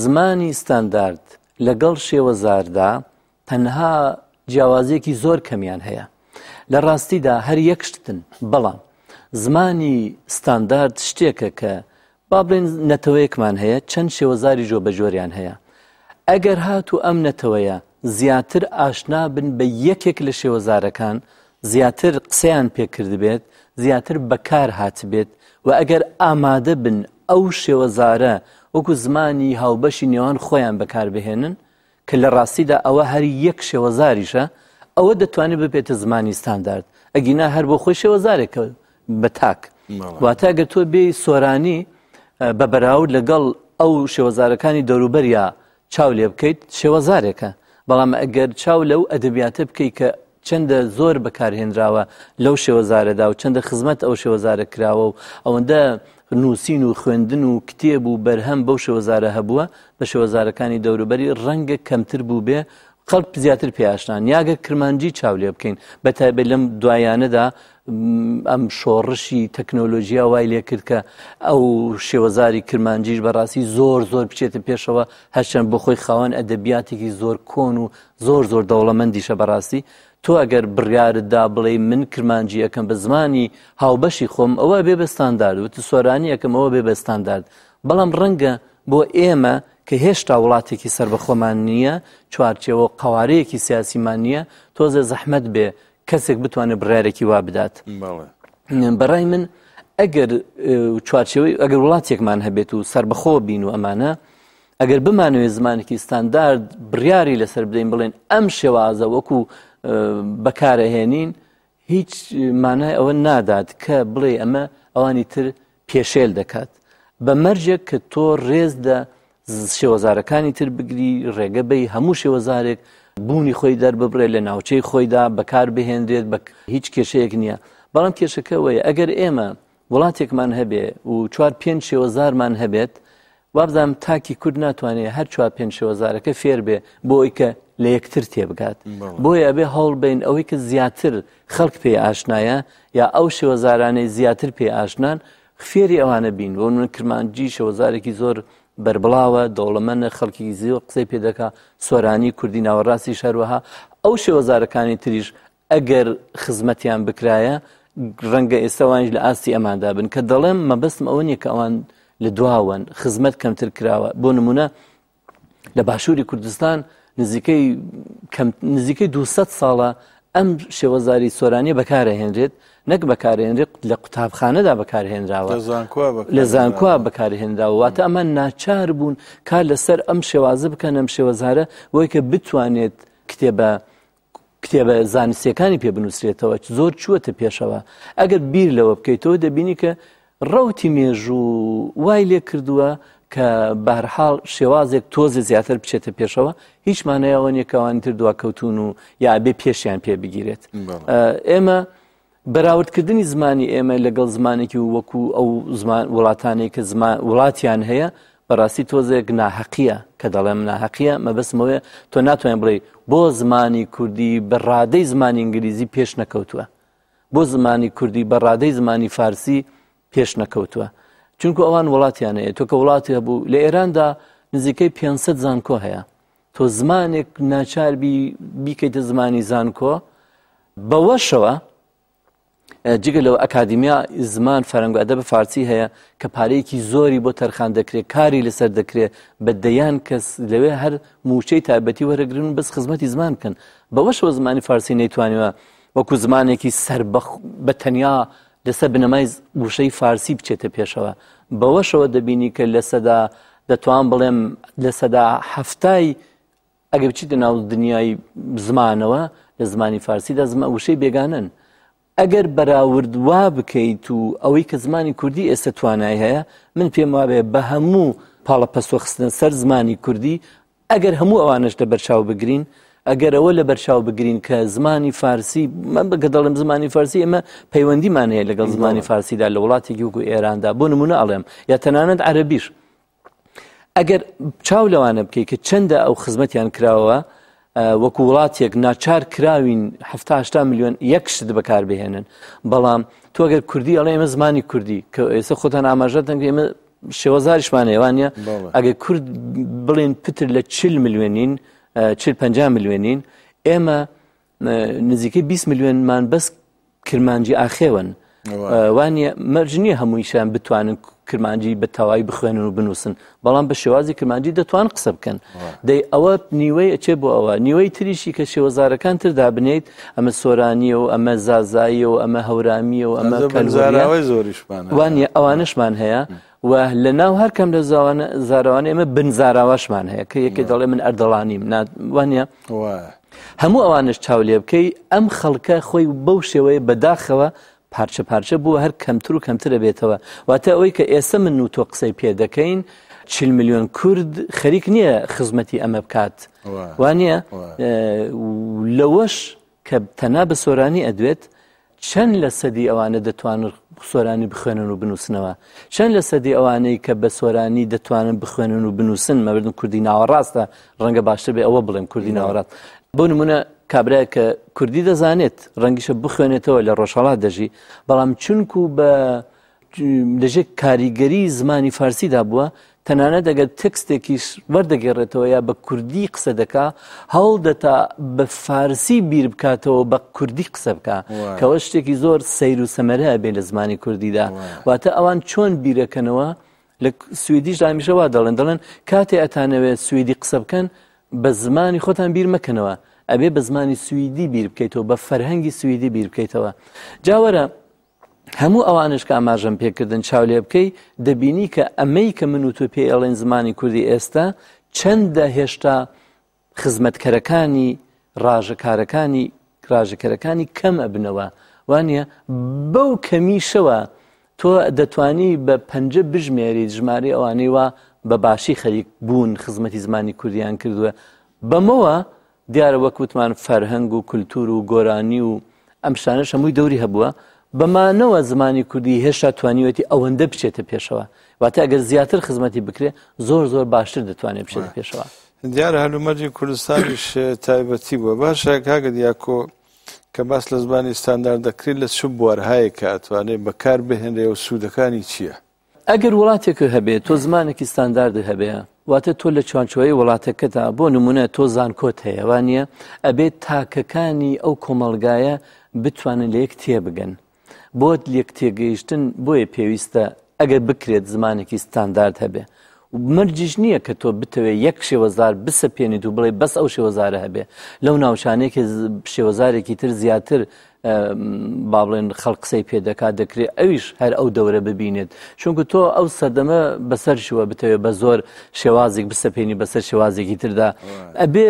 زمانی ستاندارد لەگەڵ شێوەزاردا تەنها جیاوازیەکی زۆر کەمیان هەیە. لە ڕاستیدا هەر یەک شتن، بەڵام زمانی ستاندارد شتێکە کە با بڵێین نەتەوەیەکمان هەیە چەند شێوەزاری جۆبەجۆریان هەیە ئەگەر هاتوو ئەم نەتەوەیە زیاتر ئاشنا بن بە یەکێک لە شێوەزارەکان زیاتر قسەیان پێکردبێت زیاتر بەکار هاتبێت و ئەگەر ئامادە بن ئەو شێوەزارە وەکو زمانی هاوبەشی نێوان خۆیان بەکاربهێنن کە لە ڕاستیدا ئەوە هەر یەک شێوەزاریشە ئەوە دەتوانێت ببێتە زمانی ستاندارد ئەگینا هەر بۆ خۆی شێوەزارێکە بە تاک واتە گەر تۆ بێی سۆرانی بە بەراورد لەگەڵ ئەو شێوەزارەکانی دەوروبەریا چاو لێ بکەیت شێوەزارێکە بەڵام ئەگەر چاو لەو ئەدەبیاتە بکەیت کە چەندە زۆر بەکارهێنراوە لەو شێوەزارەدا و چەندە خزمەت ئەو شێوەزارە کراوە و ئەوەندە نووسین و خوێندن و کتێب و بەرهەم بەو شێوەزارە هەبووە بە شێوەزارەکانی دەوروبەری ڕەنگە کەمتر بووبێ خەڵک زیاتر پێ ئاشنان یاگەر کرمانجی چاو لێ بکەین بە تایبەت لەم دوایانەدا ئەم شۆڕشی تەکنۆلۆژیا وای لێ کرد کە ئەو شێوەزاری کرمانجیش بەڕاستی زۆر زۆر بچێتە پێشەوە هەرچەند بۆ خۆی خاوەن ئەدەبیاتێکی زۆر کۆن و زۆر زۆر دەوڵەمەندیشە بەڕاستی تۆ ئەگەر بڕیارت دا بڵێی من کرمانجی ئەکەم بە زمانی هاوبەشی خۆم ئەوە بێ بە ستاندارد وت سۆرانی ئەکەم ئەوە بێ بە ستاندارد بەڵام ڕەنگە بۆ ئێمە کە هێشتا وڵاتێکی سەربەخۆمان نییە چوارچێوە قوارەیەکی سیاسیمان نییە تۆزێ زەحمەت بێ کەسێک بتوانێت بڕارێکی وا بدات بەڕای من ئەگەر چوارچێوەی ئەگەر وڵاتێکمان هەبێت و سربەخۆ بین و ئەمانە ئەگەر بمانەوێت زمانێکی ستاندارد بڕیاری لەسەر بدەین بڵێن ئەم شێوازە وەکو بەکارەهێنین هیچ مانای ئەوە نادات کە بڵێ ئەمە ئەوانی تر پێشێل دەکات بە مەرجێک کە تۆ ڕێز لە شێوەزارەکانی تر بگری ڕێگە بەی هەموو شێوەزارێک بوونی خۆی دەرببڕێت لە ناوچەی خۆیدا بەکار بهێنرێت بە هیچ کێشەیەک نییە بەڵام کێشەکە وەیە ئەگەر ئێمە وڵاتێکمان هەبێ و چوار پێنج شێوەزارمان هەبێت وابزانم تاکی کورد ناتوانێت هەر چوار پێنج شێوەزارەکە فێر بێ بۆ ئەوی کە لە یەکتر تێبگات بۆیە ئەبێ هەوڵ بین ئەوەی کە زیاتر خەڵک پێی ئاشنایە یا ئەو شێوەزارانەی زیاتر پێی ئاشنان فێری ئەوانە بین بۆ من کرمانجی شێوەزارێکی زۆر بەربڵاوە دەوڵەمەنە خەڵکی زیۆ قسەی پێ دەکا سۆرانی کوردی ناوەڕاستی شەروەها ئەو شێوەزارەکانی تریش ئەگەر خزمەتیان بکرایە ڕەنگە ئێستا وانیش لە ئاستی ئەماندا بن کە دەڵێم مەبەستم ئەوە نییە کە ئەوان لە دواوەن خزمەت کەمتر کراوە بۆ نمونە لە باشووری کوردستان نزیکەی نزیکەی 200 ساڵە ئەم شێوەزاری سۆرانیە بەکارهێنرێت نەک بەکارهێنرێت لە قوتابخانەدا بەکارهێنراوە لە زانکۆ بەکارهێنراوە واتە ئەمە ناچار بوون کار لەسەر ئەم شێوازە بکەن ئەم شێوەزارە بۆی کە بتوانێت کتێبە کتێبە زانستیەکانی پێ بنووسرێتەوە زۆر چووەتە پێشەوە ئەگەر بیر لەوە بکەیتەوە دەبینی کە ڕەوتی مێژوو وای لێ کردووە کە بەهرحاڵ شێوازێک تۆزێ زیاتر بچێتە پێشەوە هیچ مانایەوە نییە کەوانی تر دواکەوتون و یا بێ پێشیان پێ بگیرێت ئێمە بەراوردکردنی زمانی ئێمە لەگەڵ زمانێکی وەکو ئەو زمان وڵاتانەی کە زمان وڵاتیان هەیە بەڕاستی تۆزێک ناهەقیە کە دەڵێم ناهەقیە مەبەستمەوەیە تۆ ناتوانین بڵێ بۆ زمانی کوردی بە ڕادەی زمانی ئینگلیزی پێش نەکەوتووە بۆ زمانی کوردی بە ڕادەی زمانی فارسی پێش نەکەوتووە چونکو ئەوان وڵاتیان هەیە تۆ کە وڵاتی هەبوو لە ئێراندا نزیکەی 500 زانکۆ هەیە تۆ زمانێک ناچاربی بیکەیتە زمانی زانکۆ بەوەشەوە جگە لەوە ئەکادیمیا زمان فەرەنگ و ئەدەب فارسی هەیە کە پارەیەکی زۆری بۆ تەرخان دەکرێت کاری لەسەر دەکرێت بە دەیان کەس لەوێ هەر موچەی تایبەتی وەرەگرن بەس خزمەتی زمان بکەن بەوەشەوە زمانی فارسی نەیتوانیوە وەکو زمانێکی سەربەخ بە تەنیا لەسەر بنەمای وشەی فارسی بچێتە پێشەوە. بەوەشەوە دەبینی کە لەسەدا دەتوان بڵێم لەسەدا حەفتای ئەگەر بچیتە ناو دنیای زمانەوە لە زمانی فارسیدا زمان وشەی بێگانەن. ئەگەر بەراورد وا بکەیت و ئەوەی کە زمانی کوردی ئێستا توانای هەیە من پێم وابێ بە هەموو پاڵەپەستۆ خستنە سەر زمانی کوردی ئەگەر هەموو ئەوانەش لە بەرچاو بگرین ئەگەر ئەوە لە بەرچاو بگرین کە زمانی فارسی من بەگە دەڵێم زمانی فارسی ئێمە پەیوەندیمان هەیە لەگەڵ زمانی فارسیدا لە وڵاتێکی وەکو ئێراندا بۆ نمونە ئەڵێم یا تەنانەت عەرەبیش ئەگەر چاو لەوانە بکەیت کە چەندە ئەو خزمەتیان کراوە وەکو وڵاتێک ناچار کراوین هەشتا میلیۆن یەک شت بەکار بهێنن بەڵام تۆ ئەگەر کوردی ئەڵێ ئێمە زمانی کوردی کە ئێستا خۆتان ئاماژەتەن ئێمە شێوەزاریشمان هەیە وانە ئەگەر کورد بڵێن پتر لە چل ملیۆنین چل پ ملیۆنین ئێمە نزیکەی 20 ملیۆنمان بەس کرمانجی ئاخێون وانە مەرج نییە هەموویشیان بتوانن کرمانجی بە تەواوی بخوێنن و بنووسن بەڵام بە شێوازی کرمانجی دەتوان قسە بکەن دەی ئەوە نیوەی ئەچێ بۆ ئەوە نیوەی تریشی کە شێوەزارەکان تر دابنیت ئەمە سۆرانیە و ئەمە زازاییە و ئەمە هەورامیە و ئەمە کەلزاراوەی زۆریشمان وانە ئەوانشمان هەیە و لە ناو هەر کەم لە زاوانە زارەوانە ئێمە بن زاراواشمان هەیە کە یەکێ دەڵێ من ئەردەڵانیم وانە هەموو ئەوانش چاو لێ بکەی ئەم خەڵکە خۆی بەو شێوەیە بەداخەوە پارچە پارچە بووە هەر کەمتر و کەمتر ئەبێتەوە واتە ئەوەی کە ئێستا من و تۆ قسەی پێ دەکەین چل ملیۆن کورد خەریک نییە خزمەتی ئەمە بکات وانە لەوەش کە تەنا بە سۆرانی ئەدوێت چەند لە سەدی ئەوانە دەتوانن سۆرانی بخوێنن و بنووسنەوە چەند لە سەدی ئەوانەی کە بە سۆرانی دەتوانن بخوێنن و بنووسن مەبردن کوردی ناوەڕاستە ڕەنگە باشتر بێ ئەوە بڵێم کوردی ناوەڕاست بۆ نمونە کابرایە کە کوردی دەزانێت ڕەنگیشە بخوێنێتەوە لە ڕۆژهەڵات دەژی بەڵام چونکو بە لەژێر کاریگەری زمانی فارسیدا بووە تەنانەت ئەگەر تێکستێکیش وەردەگێڕێتەوە یا بە کوردی قسە دەکا هەوڵ دەتا بە فارسی بیر بکاتەوە بە کوردی قسە بکا کەەوە شتێکی زۆر سەیر و سەمەرە بێ لە زمانی کوردیدا واتە ئەوان چۆن بیرەکەنەوە لە سوئدیش هەمیشە وا دەڵێن دەڵێن کاتێ ئەتانەوێت سوئدی قسە بکەن بە زمانی خۆتان بیر مەکەنەوە ئەبێ بە زمانی سوئدی بیر بکەیتەوە بە فەرهەنگی سوئدی بیر بکەیتەوە جاوەرە هەموو ئەوانش کە ئاماژەم پێکردن چاو لێ بکەی دەبینی کە ئەمەی کە من و تۆ پێی ئەڵێن زمانی کوردی ئێستا چەندە هێشتا خزمەتکەرەکانی ڕاژەکارەکانی ڕاژەکەرەکانی کەم ئەبنەوە وانە بەو کەمیشەوە تۆ دەتوانی بە پەنجە بژمێریت ژمارەی ئەوانەی وا بە باشی خەریک بوون خزمەتی زمانی کوردیان کردووە بەمەوە دیارە وەک وتمان فەرهەنگ و کولتور و گۆرانی و ئەم شتانەش هەمووی دەوری هەبووە بەمانەوە زمانی کوردی هێشتا توانیوەتی ئەوەندە بچێتە پێشەوە واتە ئەگەر زیاتر خزمەتی بکرێ زۆر زۆر باشتر دەتوانێت بچێتە پێشەوە. دیارە هەلومەرجی کوردستانیش تایبەتی بووە باشە کاکە دیاکۆ کە باس لە زمانی ستاندارد دەکرێت لە چ بوارهایەک کە ئەتوانێت بەکار بهێنرێ و سوودەکانی چییە؟ ئەگەر وڵاتێکت هەبێ تۆ زمانێکی ستانداردت هەبێ واتە تۆ لە چوانچۆی وڵاتەکەدا بۆ نمونە تۆ زانکۆت هەیە وانە ئەبێت تاکەکانی ئەو کۆمەڵگایە بتوانن لە یەک تێبگەن بۆت لێک تێگەیشتن بۆیە پێویستە ئەگەر بکرێت زمانێکی ستاندارد هەبێ مەرجیش نییە کە تۆ بتەوێت یەک شێوەزار بسەپێنیت و بڵێ بەس ئەو شێوەزارە هەبێ لەو ناوچانەیە کە شێوەزارێکی تر زیاتر با بڵێن خەڵک قسەی پێ دەکات دەکرێت ئەویش هەر ئەو دەورە ببینێت چونکە تۆ ئەو سەردەمە بەسەر شووە بتەوێت بە زۆر شێوازێک بسەپێنی بەسەر شێوازێکی تردا ئەبێ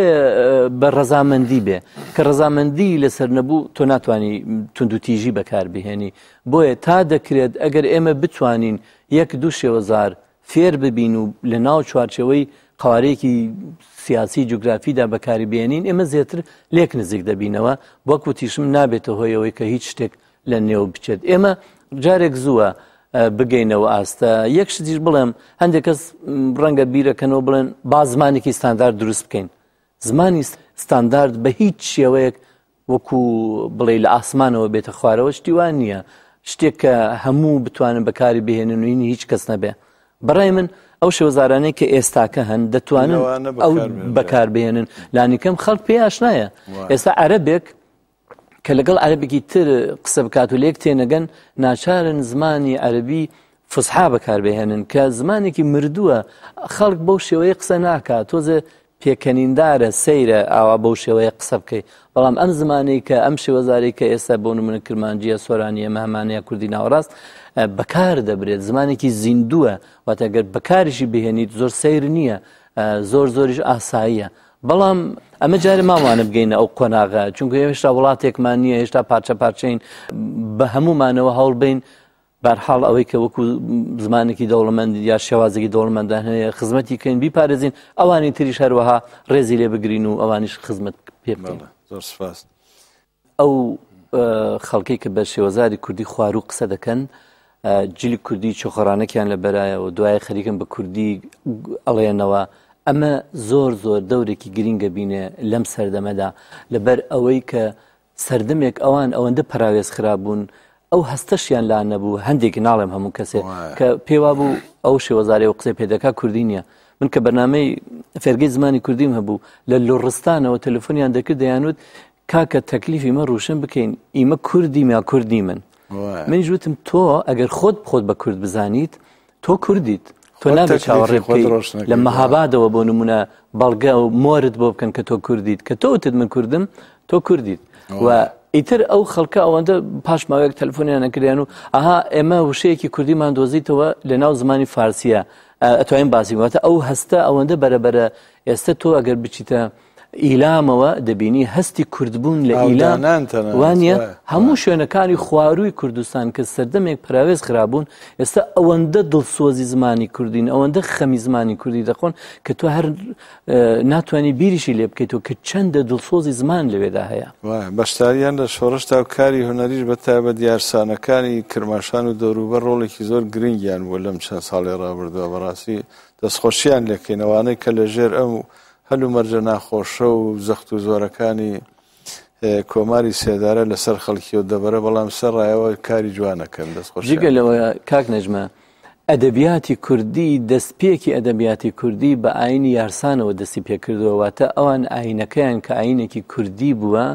بە ڕەزامەندی بێ کە ڕەزامەندی لەسەر نەبوو تۆ ناتوانانی توندوتیژی بەکاربهێنی بۆیە تا دەکرێت ئەگەر ئێمە بتوانین یەک دوو شێوەزار فێر ببین و لە ناو چوارچێوەی قوارەیەکی سیاسی جوگرافیدا بەکاری بێنین ئێمە زیاتر لێک نزیک دەبینەوە وەک وتیشم نابێتە هۆیەوەی کە هیچ شتێک لە نێو بچێت ئێمە جارێک زووە بگەینەوە ئاستە یەک شتیش بڵێم هەندێک کەس ڕەنگە بیرەکەنەوە بڵێن با زمانێکی ستاندارد دروست بکەین زمانی ستاندارد بە هیچ شێوەیەک وەکو بڵێ لە ئاسمانەوە بێتە خوارەوە شتی وان نییە شتێک کە هەموو بتوانن بەکاری بهێنن و هیچ کەس نەبێ بەڕای من ئەو شێوەزارانەی کە ئێستاکە هەن دەتوانن ئەو بەکاربهێنن لانیکەم خەڵک پێ ئاشنایە ئێستا عەرەبێک کە لەگەڵ عەرەبێکی تر قسە بکات و لێک تێنەگەن ناچارن زمانی عەربی فسحا بەکاربهێنن کە زمانێکی مردووە خەڵک بەو شێوەیە قسە ناکات تۆزێ پێکەنیندارە، سەیرە ئاوا بەو شێوەیە قسە بکەی، بەڵام ئەم زمانەی کە ئەم شێوەزارەی کە ئێستا بۆ نمونە کرمانجیە، سۆرانیە، مەهمانەیە، کوردی ناوەڕاست بەکار دەبرێت، زمانێکی زیندووە، واتە گەر بەکاریشی بهێنیت زۆر سەیر نییە، زۆر زۆریش ئاساییە. بەڵام ئەمە جارێ ماوانە بگەینە ئەو قۆناغە، چونکە هێشتا وڵاتێکمان نییە، هێشتا پارچە پارچەین، بە هەموومانەوە هەوڵ بین بەرحاڵ ئەوەی کە وەکو زمانێکی دەوڵەمەند یا شێوازێکی دەوڵەمەندان هەیە خزمەتی کەین بیپارێزین، ئەوانی تریش هەروەها ڕێزی لێ بگرین و ئەوانیش خزمەت پێ بکەین. زۆر سپاس. ئەو خەڵکەی کە بە شێوەزاری کوردی خواروو قسە دەکەن جلی کوردی چۆخەڕانەکیان لە بەرایە و دوای خەریکن بە کوردی ئەڵێنەوە، ئەمە زۆر زۆر دەورێکی گرینگە بینێ لەم سەردەمەدا، لەبەر ئەوەی کە سەردەمێک ئەوان ئەوەندە پەراوێز خرابوون ئەو هەستەشیان لا نەبوو، هەندێک ناڵێم هەموو کەسێ کە پێوا بوو ئەو شێوەزارەی و قسەی پێدەکا کوردی نییە. من کە بەرنامەی فێرگەی زمانی کوردیم هەبوو لە لوڕستانەوە تەلەفۆنیان دەکرد دەیانوت کاکە تەکلیفی مە ڕوشن بکەین ئیمە کوردیم یا کوردیمن. منیش وتم تۆ ئەگەر خۆت خۆت بە کورد بزانیت تۆ کوردیت، تۆ نابێت چاوەڕێ بکەیت لە مەهابادەوە بۆ نمونە بەڵگە و مۆرت بۆ بکەن کە تۆ کوردیت، کە تۆ وتت من کوردم تۆ کوردیت. و ئیتر ئەو خەڵکە ئەوەندە پاش ماوەیەک تەلەفۆنیان نەکردیان و ئەها ئێمە وشەیەکی کوردیمان دۆزیتەوە لە ناو زمانی فارسیە ئەتوانین باسی واتە ئەو هەستە ئەوەندە بەرەبەرە ئێستا تۆ ئەگەر بچیتە ئیلامەوە دەبینی هەستی کوردبوون لە ئیلام وانە هەموو شوێنەکانی خوارووی کوردستان کە سەردەمێک پراوێز خرابوون ئێستا ئەوەندە دڵسۆزی زمانی کوردین ئەوەندە خەمی زمانی کوردی دەخۆن کە تۆ هەر ناتوانانی بیریشی لێ بکەیتەوە کە چەندە دڵسۆزی زمان لەوێدا هەیە. بەشداریان لە شۆڕشدا و کاری هونەریش بە تایبەت یارسانەکانی کرماشان و دەوروبەر ڕۆڵێکی زۆر گرنگیان بووە لەم چەند ساڵەی ڕابردووە بەڕاستی دەستخۆشیان لێکەین ئەوانەی کە لە ژێر ئەم هەلومەرجە ناخۆشە و زەخت و زۆرەکانی کۆماری سێدارە لەسەر خەڵکی و دەبەرە بەڵام سەر ڕایەوە کاری جوانەکەن دەستخۆش. جگە لەوە کاک نەجمە ئەدەبیاتی کوردی دەستپێکی ئەدەبیاتی کوردی بە ئاینی یارسانەوە دەستی پێکردووە، واتە ئەوان ئاینەکەیان کە ئاینێکی کوردی بووە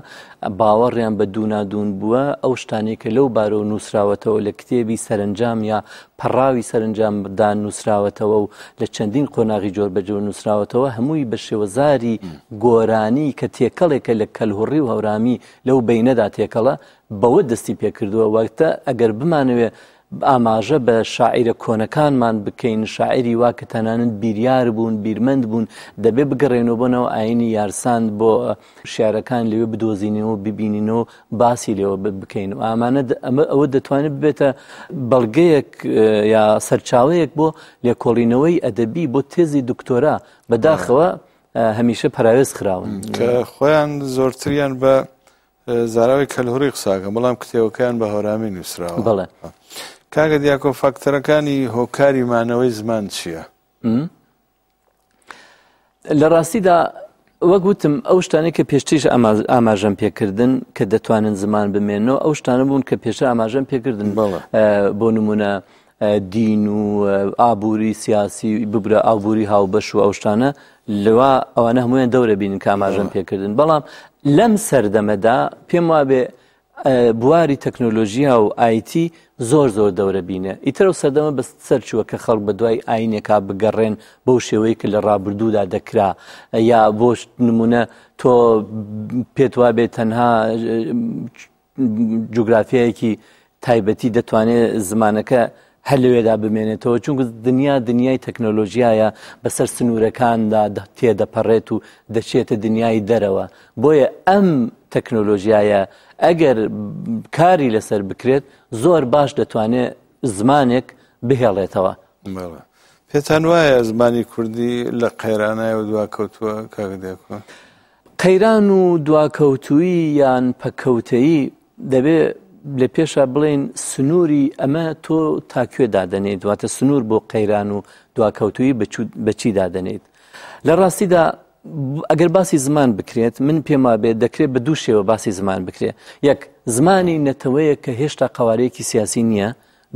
باوەڕیان بە دوونادوون بووە، ئەو شتانەی کە لەو بارەوە نووسراوەتەوە لە کتێبی سەرەنجام یا پەڕاوی سەرەنجامدا نووسراوەتەوە و لە چەندین قۆناغی جۆربەجۆر نووسراوەتەوە، هەمووی بە شێوەزاری گۆرانی کە تێکەڵێکە لە کەلهوڕی و هەورامی لەو بەینەدا تێکەڵە، بەوە دەستی پێکردووە. واتە ئەگەر بمانەوێ ئاماژە بە شاعیرە کۆنەکانمان بکەین، شاعیری وا کە تەنانەت بیریار بوون، بیرمەند بوون، دەبێ بگەڕێنەوە بۆ ناو ئایینی یارسان، بۆ شیعرەکان لەوێ بدۆزینەوە، ببینینەوە، باسی لێوە بکەین و ئامانە ئەمە ئەوە دەتوانێت ببێتە بەڵگەیەک یا سەرچاوەیەک بۆ لێکۆڵینەوەی ئەدەبی بۆ تێزی دکتۆرا. بەداخەوە هەمیشە پەراوێز خراون. کە خۆیان زۆرتریان بە زاراوەی کەلهوڕی قساکەن بەڵام کتێبەکەیان بە هەورامی نووسراوە. بەڵێ. کاکە دیاکۆ فاکتەرەکانی هۆکاری مانەوەی زمان چییە؟ لە ڕاستیدا وەک وتم ئەو شتانەی کە پێشتریش ئاماژەم پێکردن کە دەتوانن زمان بمێنەوە ئەو شتانە بوون کە پێشتر ئاماژەم پێکردن بۆ نمونە دین و ئابووری سیاسی ببرە ئابووری هاوبەش و ئەو شتانە لەوا ئەوانە هەمویان دەورە بینن کە ئاماژەم پێکردن. بەڵام لەم سەردەمەدا پێم وابێ بواری تەکنۆلۆژیا و ئایتی زۆر زۆر دەورە بینە. ئیتر ئەو سەردەمە بە سەر چووە کە خەڵک بە دوای ئاینێکا بگەڕێن بەو شێوەیە کە لە ڕابردوودا دەکرا، یا بۆ نمونە تۆ پێت وابێ تەنها جوگرافیایەکی تایبەتی دەتوانێت زمانەکە هەر لەوێدا بمێنێتەوە، چونکە دنیا دنیای تەکنۆلۆژیایە، بەسەر سنوورەکاندا تێدەپەڕێت و دەچێتە دنیای دەرەوە. بۆیە ئەم تەکنۆلۆژیایە ئەگەر کاری لەسەر بکرێت زۆر باش دەتوانێت زمانێک بهێڵێتەوە. بەڵێ. پێتان وایە زمانی کوردی لە قەیرانایە و دواکەوتووە کاک دیاکۆ؟ قەیران و دواکەوتوویی یان پەککەوتەیی دەبێ لە پێشا بڵێین سنووری ئەمە تۆ تا کوێ دادەنێیت، واتە سنوور بۆ قەیران و دواکەوتوویی بە چی دادەنێیت؟ لە ڕاستیدا ئەگەر باسی زمان بکرێت من پێم وابێت دەکرێت بە دوو شێوە باسی زمان بکرێت. یەک، زمانی نەتەوەیەک کە هێشتا قەوارەیەکی سیاسی نییە.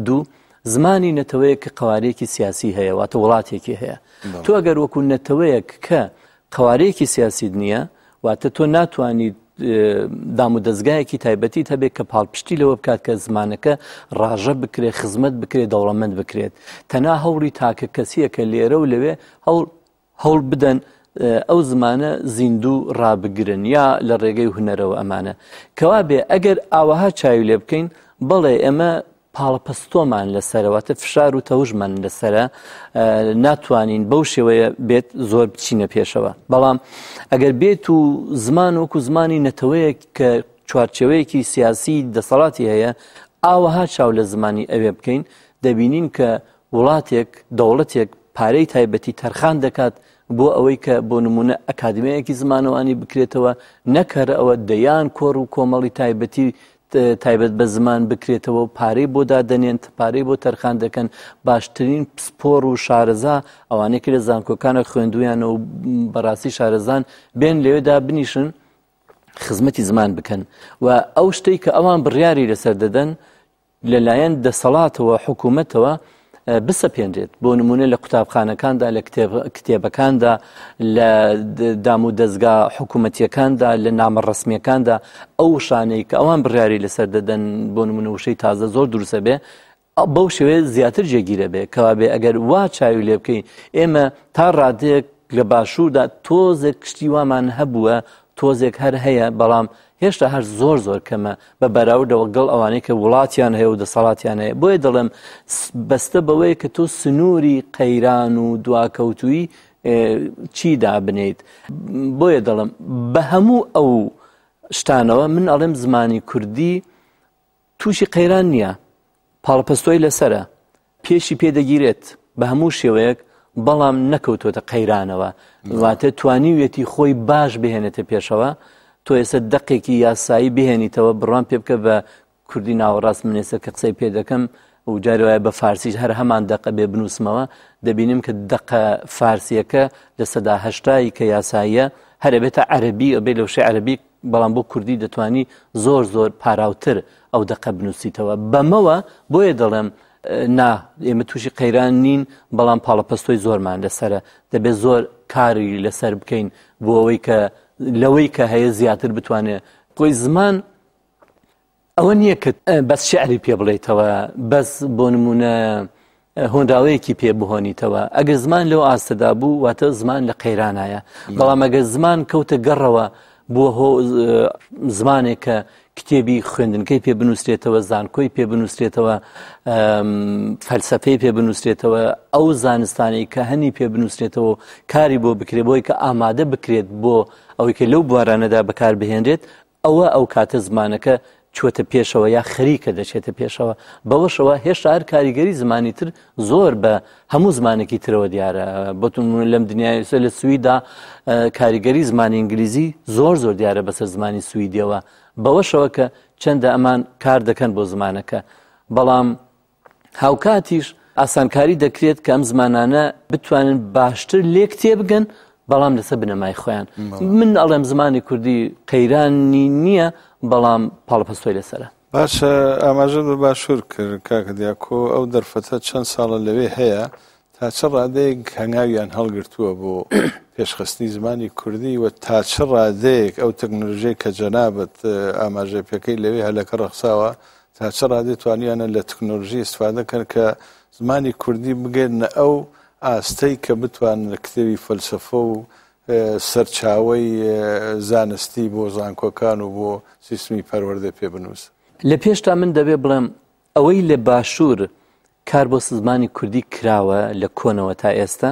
دوو، زمانی نەتەوەیەک کە قەوارەیەکی سیاسی هەیە، واتە وڵاتێکی هەیە. تۆ ئەگەر وەکو نەتەوەیەک کە قەوارەیەکی سیاسیت نییە، واتە تۆ ناتوانیت دام و دەزگایەکی تایبەتیت هەبێت کە پاڵپشتی لەوە بکات کە زمانەکە ڕاژە بکرێت، خزمەت بکرێت، دەوڵەمەند بکرێت. تەنها هەوڵی تاکە کەسیە کە لێرە و لەوێ هەوڵ بدەن ئەو زمانە زیندوو ڕابگرن یا لە ڕێگەی هونەرەوە ئەمانە. کەوا بێ ئەگەر ئاوەها چاوی لێ بکەین، بەڵێ ئێمە پاڵەپەستۆمان لەسەرە، واتە فشار و تەوژمان لەسەرە، ناتوانین بەو شێوەیە بێت زۆر بچینە پێشەوە. بەڵام ئەگەر بێت و زمان وەکو زمانی نەتەوەیەک کە چوارچێوەیەکی سیاسی دەسەڵاتی هەیە، ئاوەها چاو لە زمانی ئەوێ بکەین، دەبینین کە وڵاتێک، دەوڵەتێک پارەی تایبەتی تەرخان دەکات بۆ ئەوەی کە بۆ نمونە ئەکادمیایەکی زمانەوانی بکرێتەوە، نەک هەر ئەوە دەیان کۆڕ و کۆمەڵی تایبەتی تایبەت بە زمان بکرێتەوە و پارەی بۆ دادەنێن، پارەی بۆ تەرخان دەکەن، باشترین پسپۆڕ و شارەزا ئەوانەی کە لە زانکۆکانە خوێندویانە و بەڕاستی شارەزان بێن لەوێدا بنیشن خزمەتی زمان بکەن و ئەو شتەی کە ئەوان بڕیاری لەسەر دەدەن لەلایەن دەسەڵاتەوە حکوومەتەوە بسەپێنرێت بۆ نمونە لە قوتابخانەکاندا لە کتێبەکاندا لە دام و دەستگا حکوومەتیەکاندا لە نامە ڕسمیەکاندا ئەو وشانەی کە ئەوان بڕیاری لەسەر دەدەن بۆ نمونە وشەی تازە زۆر دروستە بێ بەو شێوەیە زیاتر جێگیرە بێ کەوابێ ئەگەر وا چاوی لێ بکەین ئێمە تا ڕادەیەک لە باشووردا تۆزێک کشتی وامان هەبووە تۆزێک هەر هەیە بەڵام هێشتا هەر زۆر زۆر کەمە بە بەراوردەوە گەڵ ئەوانەی کە وڵاتیان هەیە و دەسەڵاتیان هەیە بۆیە دەڵێم بەستە بەوەیە کە تۆ سنووری قەیران و دواکەوتووی چی دابنیت بۆیە دەڵم بە هەموو ئەو شتانەوە من ئەڵێم زمانی کوردی تووشی قەیران نییە، پاڵەپەستۆی لەسەرە، پێشی پێ دەگیرێت بە هەموو شێوەیەک، بەڵام نەکەوتووەتە قەیرانەوە، واتە توانیویەتی خۆی باش بهێنێتە پێشەوە، تۆ ئێستا دەقێکی یاسایی بهێنیتەوە بڕوام پێ بکە بە کوردی ناوەڕاست من ئێستا کە قسەی پێ دەکەم و جاری وایە بە فارسیش هەر هەمان دەقە بێ بنووسمەوە دەبینم کە دەقە فارسیەکە 80% کە یاساییە هەر ئەبێتە عەرەبی ئەبێ لە وشەی عەرەبی بەڵام بۆ کوردی دەتوانی زۆر زۆر پاراوتر ئەو دەقە بنووسیتەوە بەمەوە بۆیە دەڵێم نا ئێمە تووشی قەیران نین بەڵام پاڵەپەستۆی زۆرمان لەسرە دەبێت زۆر کاری لەسەر بکەین بۆ ئەوەی کە لەوەی کە هەیە زیاتر بتوانێت خۆی زمان ئەوە نییە کە بەس شعری پێ بڵێیتەوە، بەس بۆ نموونە هۆنراوەیەکی پێ بهۆنیتەوە. ئەگەر زمان لەو ئاستەدا بوو، واتە زمان لە قەیرانایە. بەڵام ئەگەر زمان کەوتە گەڕەوە بۆ هۆ زمانێک کە کتێبی خوێندنکەی پێ بنووسرێتەوە، زانکۆی پێ بنووسرێتەوە، فەلسەفەی پێ بنووسرێتەوە، ئەو زانستانەی کە هەنی پێ بنووسرێتەوە و کاری بۆ بکرێت بۆی کە ئامادە بکرێت بۆ ئەوەی کە لەو بوارانەدا بەکار بهێنرێت، ئەوە ئەو کاتە زمانەکە چووەتە پێشەوە یا خەریکە دەچێتە پێشەوە، بەوەشەوە هێشتا هەر کاریگەری زمانی تر زۆر بە هەموو زمانێکی ترەوە دیارە. بۆ نموونە لەم دنیای ئێستا لە سویدا کاریگەری زمانی ئینگلیزی زۆر زۆر دیارە بەسەر زمانی سویدیەوە، بەوەشەوە کە چەندە ئەمان کار دەکەن بۆ زمانەکە، بەڵام هاوکاتیش ئاسانکاری دەکرێت کە ئەم زمانانە بتوانن باشتر لێک تێبگەن بەڵام لەسەر بنەمای خۆیان من ئەڵێم زمانی کوردی قەیرانی نییە بەڵام پاڵپەستۆی لەسرە. باشە ئاماژەت بە باشوور کرد کاکە دیاکۆ ئەو دەرفەتە چەند ساڵە لەوێ هەیە تا چ ڕادەیەک هەنگاویان هەڵگرتووە بۆ پێشخستنی زمانی کوردی و تا چ ڕادەیەک ئەو تەکنۆلۆژیای کە جەنابت ئاماژەی پێکەی لەوێ هەلەکە ڕەخساوە تا چ ڕادەیەک توانیویانە لە تەکنۆلۆژی ئیستفادە کەن کە زمانی کوردی بگەنە ئەو ئاستەی کە بتوانن لە کتێبی فەلسەفە و سەرچاوەی زانستی بۆ زانکۆکان و بۆ سیستمی پەروەردە پێ بنووسن. لە پێشتا من دەبێ بڵێم ئەوەی لە باشوور کار بۆ زمانی کوردی کراوە لە کۆنەوە تا ئێستا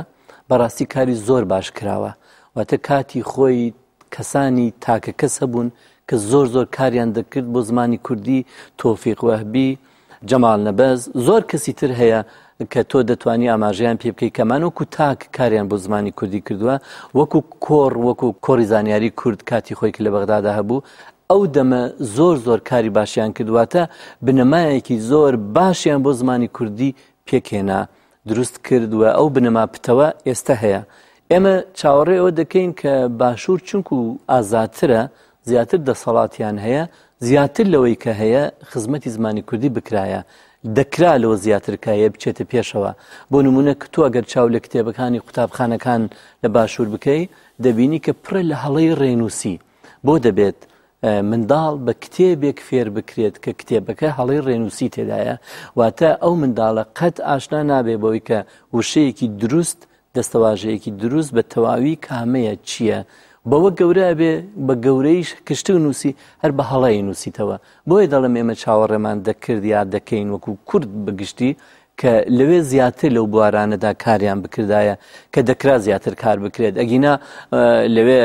بەڕاستی کاری زۆر باش کراوە واتە کاتی خۆی کەسانی تاکە کەس هەبوون کە زۆر زۆر کاریان دەکرد بۆ زمانی کوردی تۆفیق وەهبی جەمال نەبەز زۆر کەسی تر هەیە کە تۆ دەتوانی ئاماژەیان پێ بکەیت کەمان وەکو تاک کاریان بۆ زمانی کوردی کردووە وەکو کۆڕ وەکو کۆڕی زانیاری کورد کاتی خۆی کە لە بەغدادا هەبوو ئەو دەمە زۆر زۆر کاری باشیان کرد واتە بنەمایەکی زۆر باشیان بۆ زمانی کوردی پێکهێنا دروست کرد و ئەو بنەما پتەوە ئێستا هەیە ئێمە چاوەڕێ ئەوە دەکەین کە باشوور چونکو ئازادترە زیاتر دەسەڵاتیان هەیە زیاتر لەوەی کە هەیە خزمەتی زمانی کوردی بکرایە دەکرا لەوە زیاتر کە هەیە بچێتە پێشەوە بۆ نمونە کە تۆ ئەگەر چاو لە کتێبەکانی قوتابخانەکان لە باشوور بکەی دەبینی کە پڕە لە هەڵەی ڕێنووسی بۆ دەبێت منداڵ بە کتێبێک فێر بکرێت کە کتێبەکە هەڵەی ڕێنووسی تێدایە واتە ئەو منداڵە قەت ئاشنا نابێ بەوەی کە وشەیەکی دروست دەستەواژەیەکی دروست بە تەواوی کامەیە چییە؟ بەوە گەورە ئەبێ بە گەورەیش کە شتێک نووسی هەر بە هەڵە ئەینووسیتەوە. بۆیە دەڵێم ئێمە چاوەڕێمان دەکرد یا دەکەین وەکو کورد بە گشتی کە لەوێ زیاتر لەو بوارانەدا کاریان بکردایە کە دەکرا زیاتر کار بکرێت ئەگینا لەوێ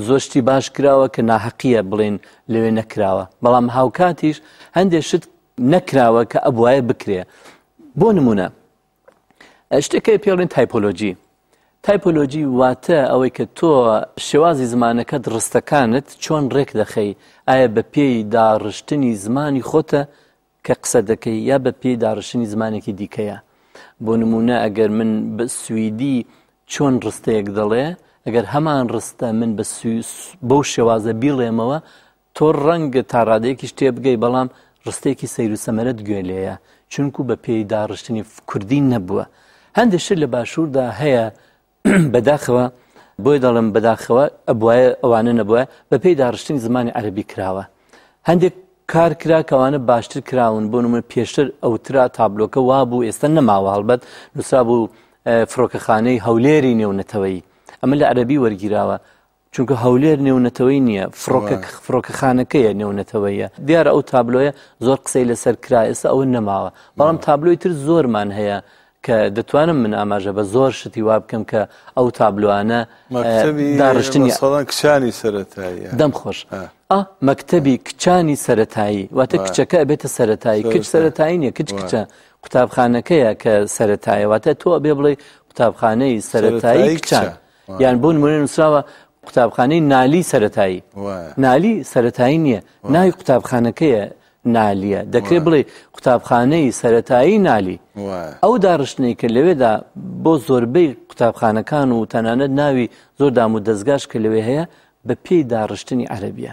زۆر شتی باش کراوە کە ناحەقیە بڵێن لەوێ نەکراوە بەڵام هاوکاتیش هەندێک شت نەکراوە کە ئەبواە بکرێ بۆ نمونە شتێک هەیە پێڵێن تایپۆلۆجی تایپۆلۆجی واتە ئەوەی کە تۆ شێوازی زمانەکەت ڕستەکانت چۆن ڕێک دەخەی ئایا بە پێی داڕشتنی زمانی خۆتە کە قسە دەکەی یا بە پێی داڕشتنی زمانێکی دیکەیە بۆ نمونە ئەگەر من بە سویدی چۆن ڕستەیەک دەڵێ ئەگەر هەمان ڕستە من بە بەو شێوازە بیڵێمەوە تۆ ڕەنگە تا ڕادەیەکیش تێبگەی بەڵام ڕستەیەکی سەیر و سەمەرەت گوێ لێیە چونکو بە پێی داڕشتنی کوردی نەبووە هەندێک شت لە باشووردا هەیە بەداخەوە بۆی دەڵێم بەداخەوە ئەبواە ئەوانە نەبووە بە پێی داڕشتنی زمانی عەربی کراوە هەندێک کار کرا کەوانە باشتر کراون بۆ نمونە پێشتر ئەوترا تابلۆکە وابوو ئێستا نەماوە هەڵبەت نووسرا بوو فڕۆکەخانەی هەولێری نێونەتەوەیی ئەمە لە عەربی وەرگیراوە چونکە هەولێر نێونەتەوەی نییە فڕۆکە فڕۆکەخانەکەیە نێونەتەوەیە دیارە ئەو تابلۆیە زۆر قسەی لەسەر کرا ئێستا ئەوە نەماوە بەڵام تابلۆی تر زۆرمان هەیە کە دەتوانم من ئاماژە بە زۆر شتی وا بکەم کە ئەو تابلوانە داڕشتنی ساڵان کچانی سەرەتایی دەم خۆش مەکتەبی کچانی سەتایی واتە کچەکە ئەبێتە سەتایی کچ سەتایی نیە کچ کچە قوتابخانەکەیە کە سەتایە واتە تۆ ئەبێ بڵێ قوتابخانەی سەتایی کچان یان بۆ نمونە نووسراوە قوتابخانەی نالی سەتایی نالی سەتایی نییە ناوی قوتابخانەکەیە نالیە دەکرێت بڵێ قوتابخانەی سەتایی نالی ئەو داڕشتنەی کە لەوێدا بۆ زۆربەی قوتابخانەکان و تەنانەت ناوی زۆر دام و دەستگاش کە لەوێ هەیە بە پێی داڕشتنی عەربیە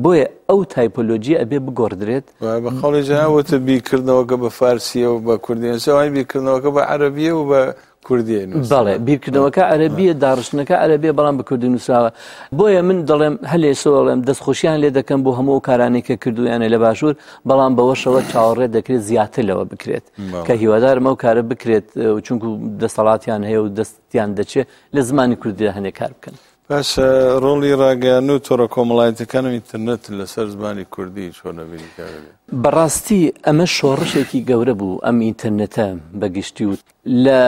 بۆیە ئەو تایپۆلۆجیە ئەبێ بگۆڕدرێت. وایە بە قەوڵی جەناب وتت بیرکردنەوەکە بە فارسییە و بە کوردی نووسراوە، ئەوانی بیرکردنەوەکە بە عەرەبییە و بە کوردی نووسراوە. بەڵێ بیرکردنەوەکە عەرەبییە، داڕشتنەکە عەرەبییە بەڵام بە کوردی نووسراوە. بۆیە من دەڵێم هەر لە ئێستەوە دەڵێم دەستخۆشیان لێ دەکەم بۆ هەموو ئەو کارانەی کە کردوویانە لە باشوور، بەڵام بەوەشەوە چاوەڕێ دەکرێت زیاتر لەوە بکرێت کە هیوادارم ئەو کارە بکرێت چونکو دەسەڵاتیان هەیە و دەستیان دەچێت لە زمانی کوردیدا هەندێک کار بکەن. باشە ڕۆڵی ڕاگەیاندن و تۆڕە کۆمەڵایەتیەکان و ئینتەرنێت لەسەر زمانی کوردی چۆن ئەبینی کاک عەلی؟ بەڕاستی ئەمە شۆڕشێکی گەورە بوو ئەم ئینتەرنێتە بە گشتی و لە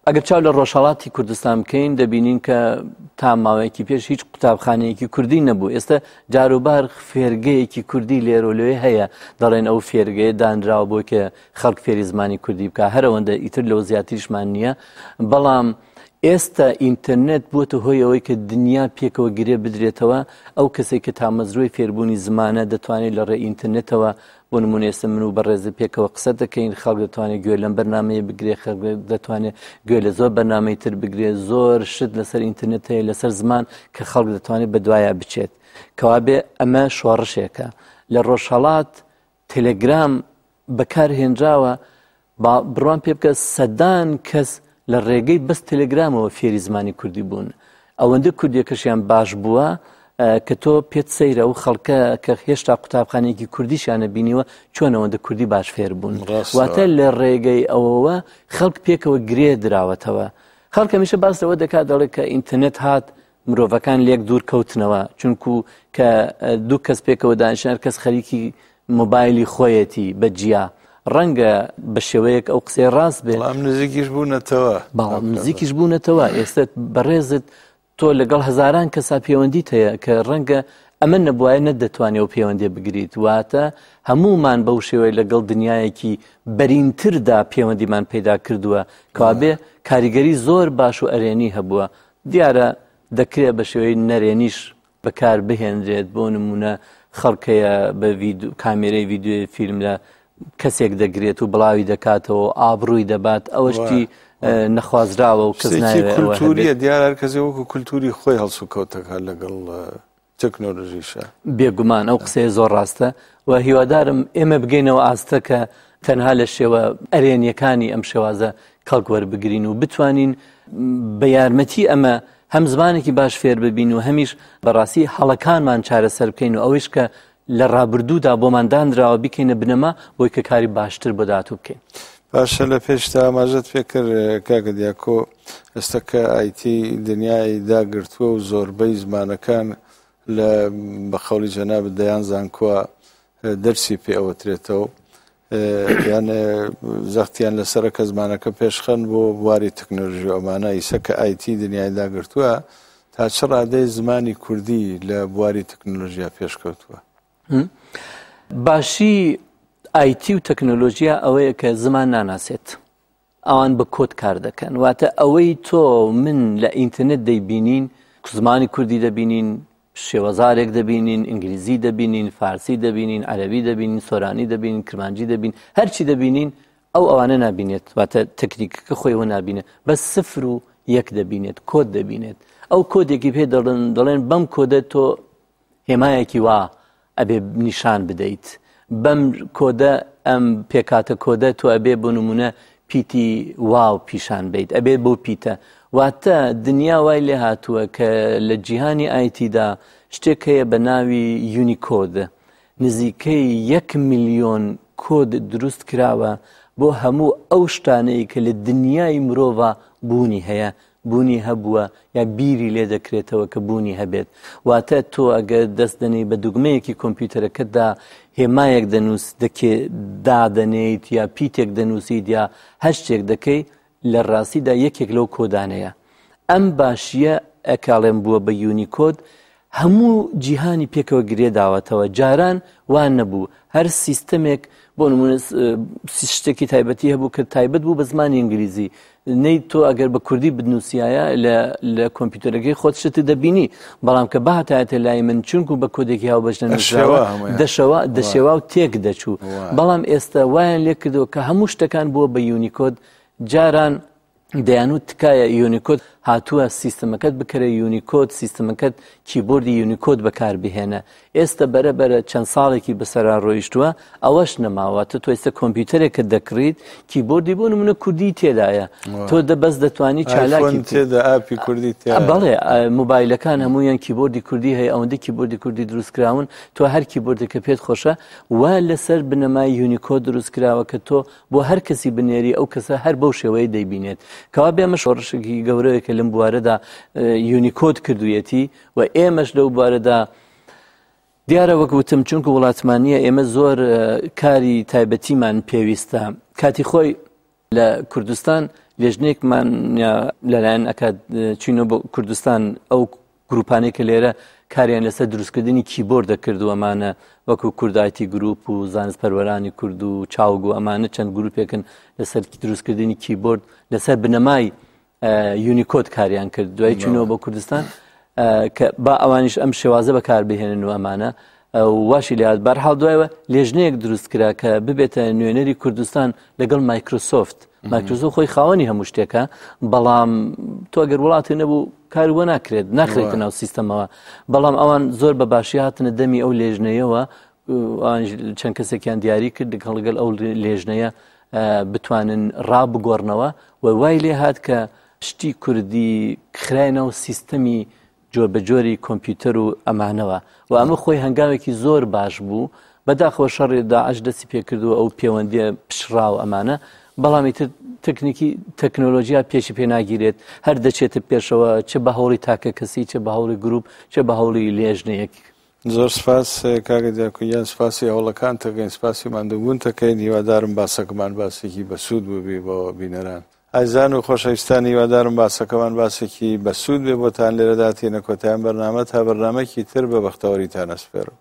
ئەگەر چاو لە ڕۆژهەڵاتی کوردستان بکەین دەبینین کە تا ماوەیەکی پێش هیچ قوتابخانەیەکی کوردی نەبوو ئێستا جاروبار فێرگەیەکی کوردی لێرە و لەوێ هەیە دەڵێن ئەو فێرگەیە دانراوە بۆی کە خەڵک فێری زمانی کوردی بکە هەرەوەندە ئیتر لەوە زیاتریشمان نییە بەڵام ئێستا ئینتەرنێت بووەتە هۆی ئەوەی کە دنیا پێکەوە گرێ بدرێتەوە، ئەو کەسەی کە تامەزرۆی فێربوونی زمانە دەتوانێت لە ڕێی ئینتەرنێتەوە، بۆ نموونە ئێستا من و بەڕێزت پێکەوە قسە دەکەین، خەڵک دەتوانێت گوێ لەم بەرنامەیە بگرێت، خەڵک دەتوانێت گوێ لە زۆر بەرنامەی تر بگرێت، زۆر شت لەسەر ئینتەرنێت هەیە لەسەر زمان کە خەڵک دەتوانێت بەدوایا بچێت. کەوابێ ئەمە شۆڕشێکە. لە ڕۆژهەڵات تێلێگرام بەکار هێنراوە، با بڕوام پێ بکە سەدان کەس لە ڕێگەی بەس تەلەگرامەوە فێری زمانی کوردی بوون ئەوەندە کوردیەکەشیان باش بووە کە تۆ پێت سەیرە و خەڵکە کە هێشتا قوتابخانەیەکی کوردیشیانە بینیوە چۆن ئەوەندە کوردی باش فێر بوون واتە لە ڕێگەی ئەوەوە خەڵک پێکەوە گرێ دراوەتەوە خەڵک هەمیشە باس لەوە دەکات دەڵێت کە ئینتەرنێت هات مرۆڤەکان لێک دوور کەوتنەوە چونکو کە دوو کەس پێکەوە دانیشن هەر کەس خەریکی مۆبایلی خۆیەتی بە جیا ڕەنگە بە شێوەیەک ئەو قسەی ڕاست بێت بەڵام نزیکیش بوونەتەوە بەڵام نزیکیش بوونەتەوە ئێستا بەڕێزت تۆ لەگەڵ هەزاران کەسا پەیوەندیت هەیە کە ڕەنگە ئەمە نەبوایە نەتدەتوانی ئەو پەیوەندیە بگریت واتە هەموومان بەو شێوەیە لەگەڵ دنیایەکی بەرینتردا پەیوەندیمان پەیدا کردووە کەوابێ کاریگەری زۆر باش و ئەرێنی هەبووە دیارە دەکرێت بە شێوەی نەرێنیش بەکار بهێنرێت، بۆ نموونە خەڵک هەیە بە کامێرەی ڤیدیۆی فیلم لە کەسێک دەگرێت و بڵاوی دەکاتەوە ئابڕووی دەبات ئەوە شتی نەخوازراوە و کەس نایەوێت ئەوە هەبێت. کولتووریە دیارە هەر کەسێ وەکو کولتووری خۆی هەڵسوکەوت دەکات لەگەڵ تەکنۆلۆژیشە. بێگومان ئەو قسەیە زۆر ڕاستە و هیوادارم ئێمە بگەینەوە ئاستە کە تەنها لە شێوە ئەرێنیەکانی ئەم شێوازە کەڵک وەربگرین و بتوانین بە یارمەتی ئەمە هەم زمانێکی باش فێر ببین و هەمیش بەڕاستی هەڵەکانمان چارەسەر بکەین و ئەوەیش کە لە ڕابردوودا بۆمان دانراوە بیکەینە بنەما بۆی کە کاری باشتر بۆ داهاتوو بکەین. باشە لە پێشتا ئاماژەت پێ کرد کاکە دیاکۆ ئێستا کە ئایتی دنیای داگرتووە و زۆربەی زمانەکان لە بە قەولی جەنابت دەیان زانکۆ دەرسی پێ ئەوترێتەوە یان زەختیان لەسەرە کە زمانەکە پێشخەن بۆ بواری تەکنۆلژی و ئەمانە ئیسە کە ئایتی دنیای داگرتووە تا چ ڕادەی زمانی کوردی لە بواری تەکنۆلژیا پێشکەوتووە؟ باشی ئایتی و تەکنۆلۆژیا ئەوەیە کە زمان ناناسێت ئەوان بە کۆد کار دەکەن واتە ئەوەی تۆ من لە ئینتەرنێت دەیبینین زمانی کوردی دەبینین شێوەزارێک دەبینین ئینگلیزی دەبینین فارسی دەبینین عەربی دەبینین سۆرانی دەبینین کرمانجی دەبین هەرچی دەبینین ئەو ئەوانە نابینێت واتە تەکنیکەکە خۆیەوە نابینێت بەس سفر و یەک دەبینێت کۆد دەبینێت ئەو کۆدێکی پێ دەڵێن دەڵێن بەم کۆدە تۆ هێمایەکی وا ئەبێ نیشان بدەیت بەم کۆدە ئەم پێکاتە کۆدە تۆ ئەبێ بۆ نمونە پیتی واو پیشان بیت ئەبێ بۆ پیتە واتە دنیا وای لێ هاتووە کە لە جیهانی ئایتیدا شتێک هەیە بە ناوی یونیکۆد نزیکەی یەک ملیۆن کۆد دروست کراوە بۆ هەموو ئەو شتانەی کە لە دنیای مرۆڤ بوونی هەیە بوونی هەبووە یا بیری لێ دەکرێتەوە کە بوونی هەبێت واتە تۆ ئەگەر دەست دەنێی بە دوگمەیەکی کۆمپیوتەرەکەتدا هێمایەک دەنووس دەکێ دادەنێیت یا پیتێک دەنووسیت یا هەر شتێک دەکەی لە ڕاستیدا یەکێک لەو کۆدانەیە ئەم باشیە ئەکاڵێم بووە بە یونیکۆد هەموو جیهانی پێکەوە گرێ داوەتەوە جاران وا نەبوو هەر سیستەمێک بۆ نمونە شتێکی تایبەتی هەبوو کە تایبەت بوو بە زمانی ئینگلیزی نەی تۆ ئەگەر بە کوردی بنووسایە لە کۆمپیوتەرەکەی خۆت شتت دەبینی بەڵام کە بهاتایەتە لای من چونکو بە کۆدێکی هاوبەش نەنووسراوە دەشەوە دەشێوا و تێک دەچوو بەڵام ئێستا وایان لێ کردەوە کە هەموو شتەکان بووە بە یونیکۆد جاران دەیانوت تکایە یونیکۆد هاتووە سیستمەکەت بکەرە یونیکۆد سیستمەکەت کیبۆردی یونیکۆد بەکاربهێنە ئێستا بەرە بەرە چەند ساڵێکی بەسەرا ڕۆیشتووە ئەوەش نەماوە تۆ تۆ ئێستا کۆمپیوتەرێکت دەکڕیت کیبۆردی بۆ نمونە کوردی تێدایە تۆ دە بەس دەتوانی چالاکی تێدا ئاپی کوردی تێدا بەڵێ مۆبایلەکان هەمویان کیبۆردی کوردی هەیە ئەوەندە کیبۆردی کوردی دروستکراون تۆ هەر کیبۆردێکە پێت خۆشە وا لەسەر بنەمای یونیکۆد دروستکراوە کە تۆ بۆ هەر کەسی بنێری ئەو کەسە هەر بەو شێوەیە دەیبینێت کەوا بێ ئەمە شۆڕشێکی گەورەیە کە لەم بوارەدا یونیکۆد کردوویەتی و ئێمەش لەو بوارەدا دیارە وەک وتم چونکە وڵاتمان نییە ئێمە زۆر کاری تایبەتیمان پێویستە کاتی خۆی لە کوردستان لێژنێکمان لەلایەن ئەکات چینۆ بۆ کوردستان ئەو گروپانەی کە لێرە کاریان لەسەر دروستکردنی کیبۆرد دەکرد و ئەمانە وەکو کوردایتی گروپ و زانست پەروەرانی کورد و چاوگ و ئەمانە چەند گروپێکن لەسەر دروستکردنی کیبۆرد لەسەر بنەمای یونیکۆد کاریان کرد دوای چونەوە بۆ کوردستان کە با ئەوانیش ئەم شێوازە بەکاربهێنن و ئەمانە واشی لات بەرحاڵ دوایەوە لێژنەیەک دروست کرا کە ببێتە نوێنەری کوردستان لەگەڵ مایکرۆسۆفت مایکرۆسۆفت خۆی خاوەنی هەموو شتێکە بەڵام تۆ ئەگەر وڵاتی نەبوو کار وە ناکرێت ناخرێتە ناو سیستەمەوە بەڵام ئەوان زۆر بە باشی هاتنە دەمی ئەو لێژنەیەوە چەند کەسێکیان دیاری کرد لەگەڵ ئەو لێژنەیە بتوانن ڕابگۆڕنەوە و وای لێ هات کە شتی کوردی خرای ناو سیستەمی جۆربەجۆری کۆمپیوتەر و ئەمانەوە و ئەمە خۆی هەنگاوێکی زۆر باش بوو بەداخەوە شەڕی داعش دەستی پێکردووە ئەو پەیوەندیە پچڕا و ئەمانە بەڵام ئیتر تەکنیکی تەکنۆلۆژیا پێشی پێ ناگیرێت هەر دەچێتە پێشەوە چ بە هەوڵی تاکە کەسی چ بە هەوڵی گروپ چ بە هەوڵی لێژنەیەک. زۆر سپاس کاکە دیاکۆ گیان سپاسی هەوڵەکانت دەکەین سپاسی ماندووبوونت دەکەین هیوادارم باسەکەمان باسێکی بەسوود بووبی بۆ بینەران. ئازیزان و خۆشەویستان هیوادارم باسەکەمان باسێکی بەسوود بێ بۆتان لێرەدا تێنە کۆتایان بەرنامە تا بەرنامەکی تر بە بەختەوەریتان ئەسپێرم.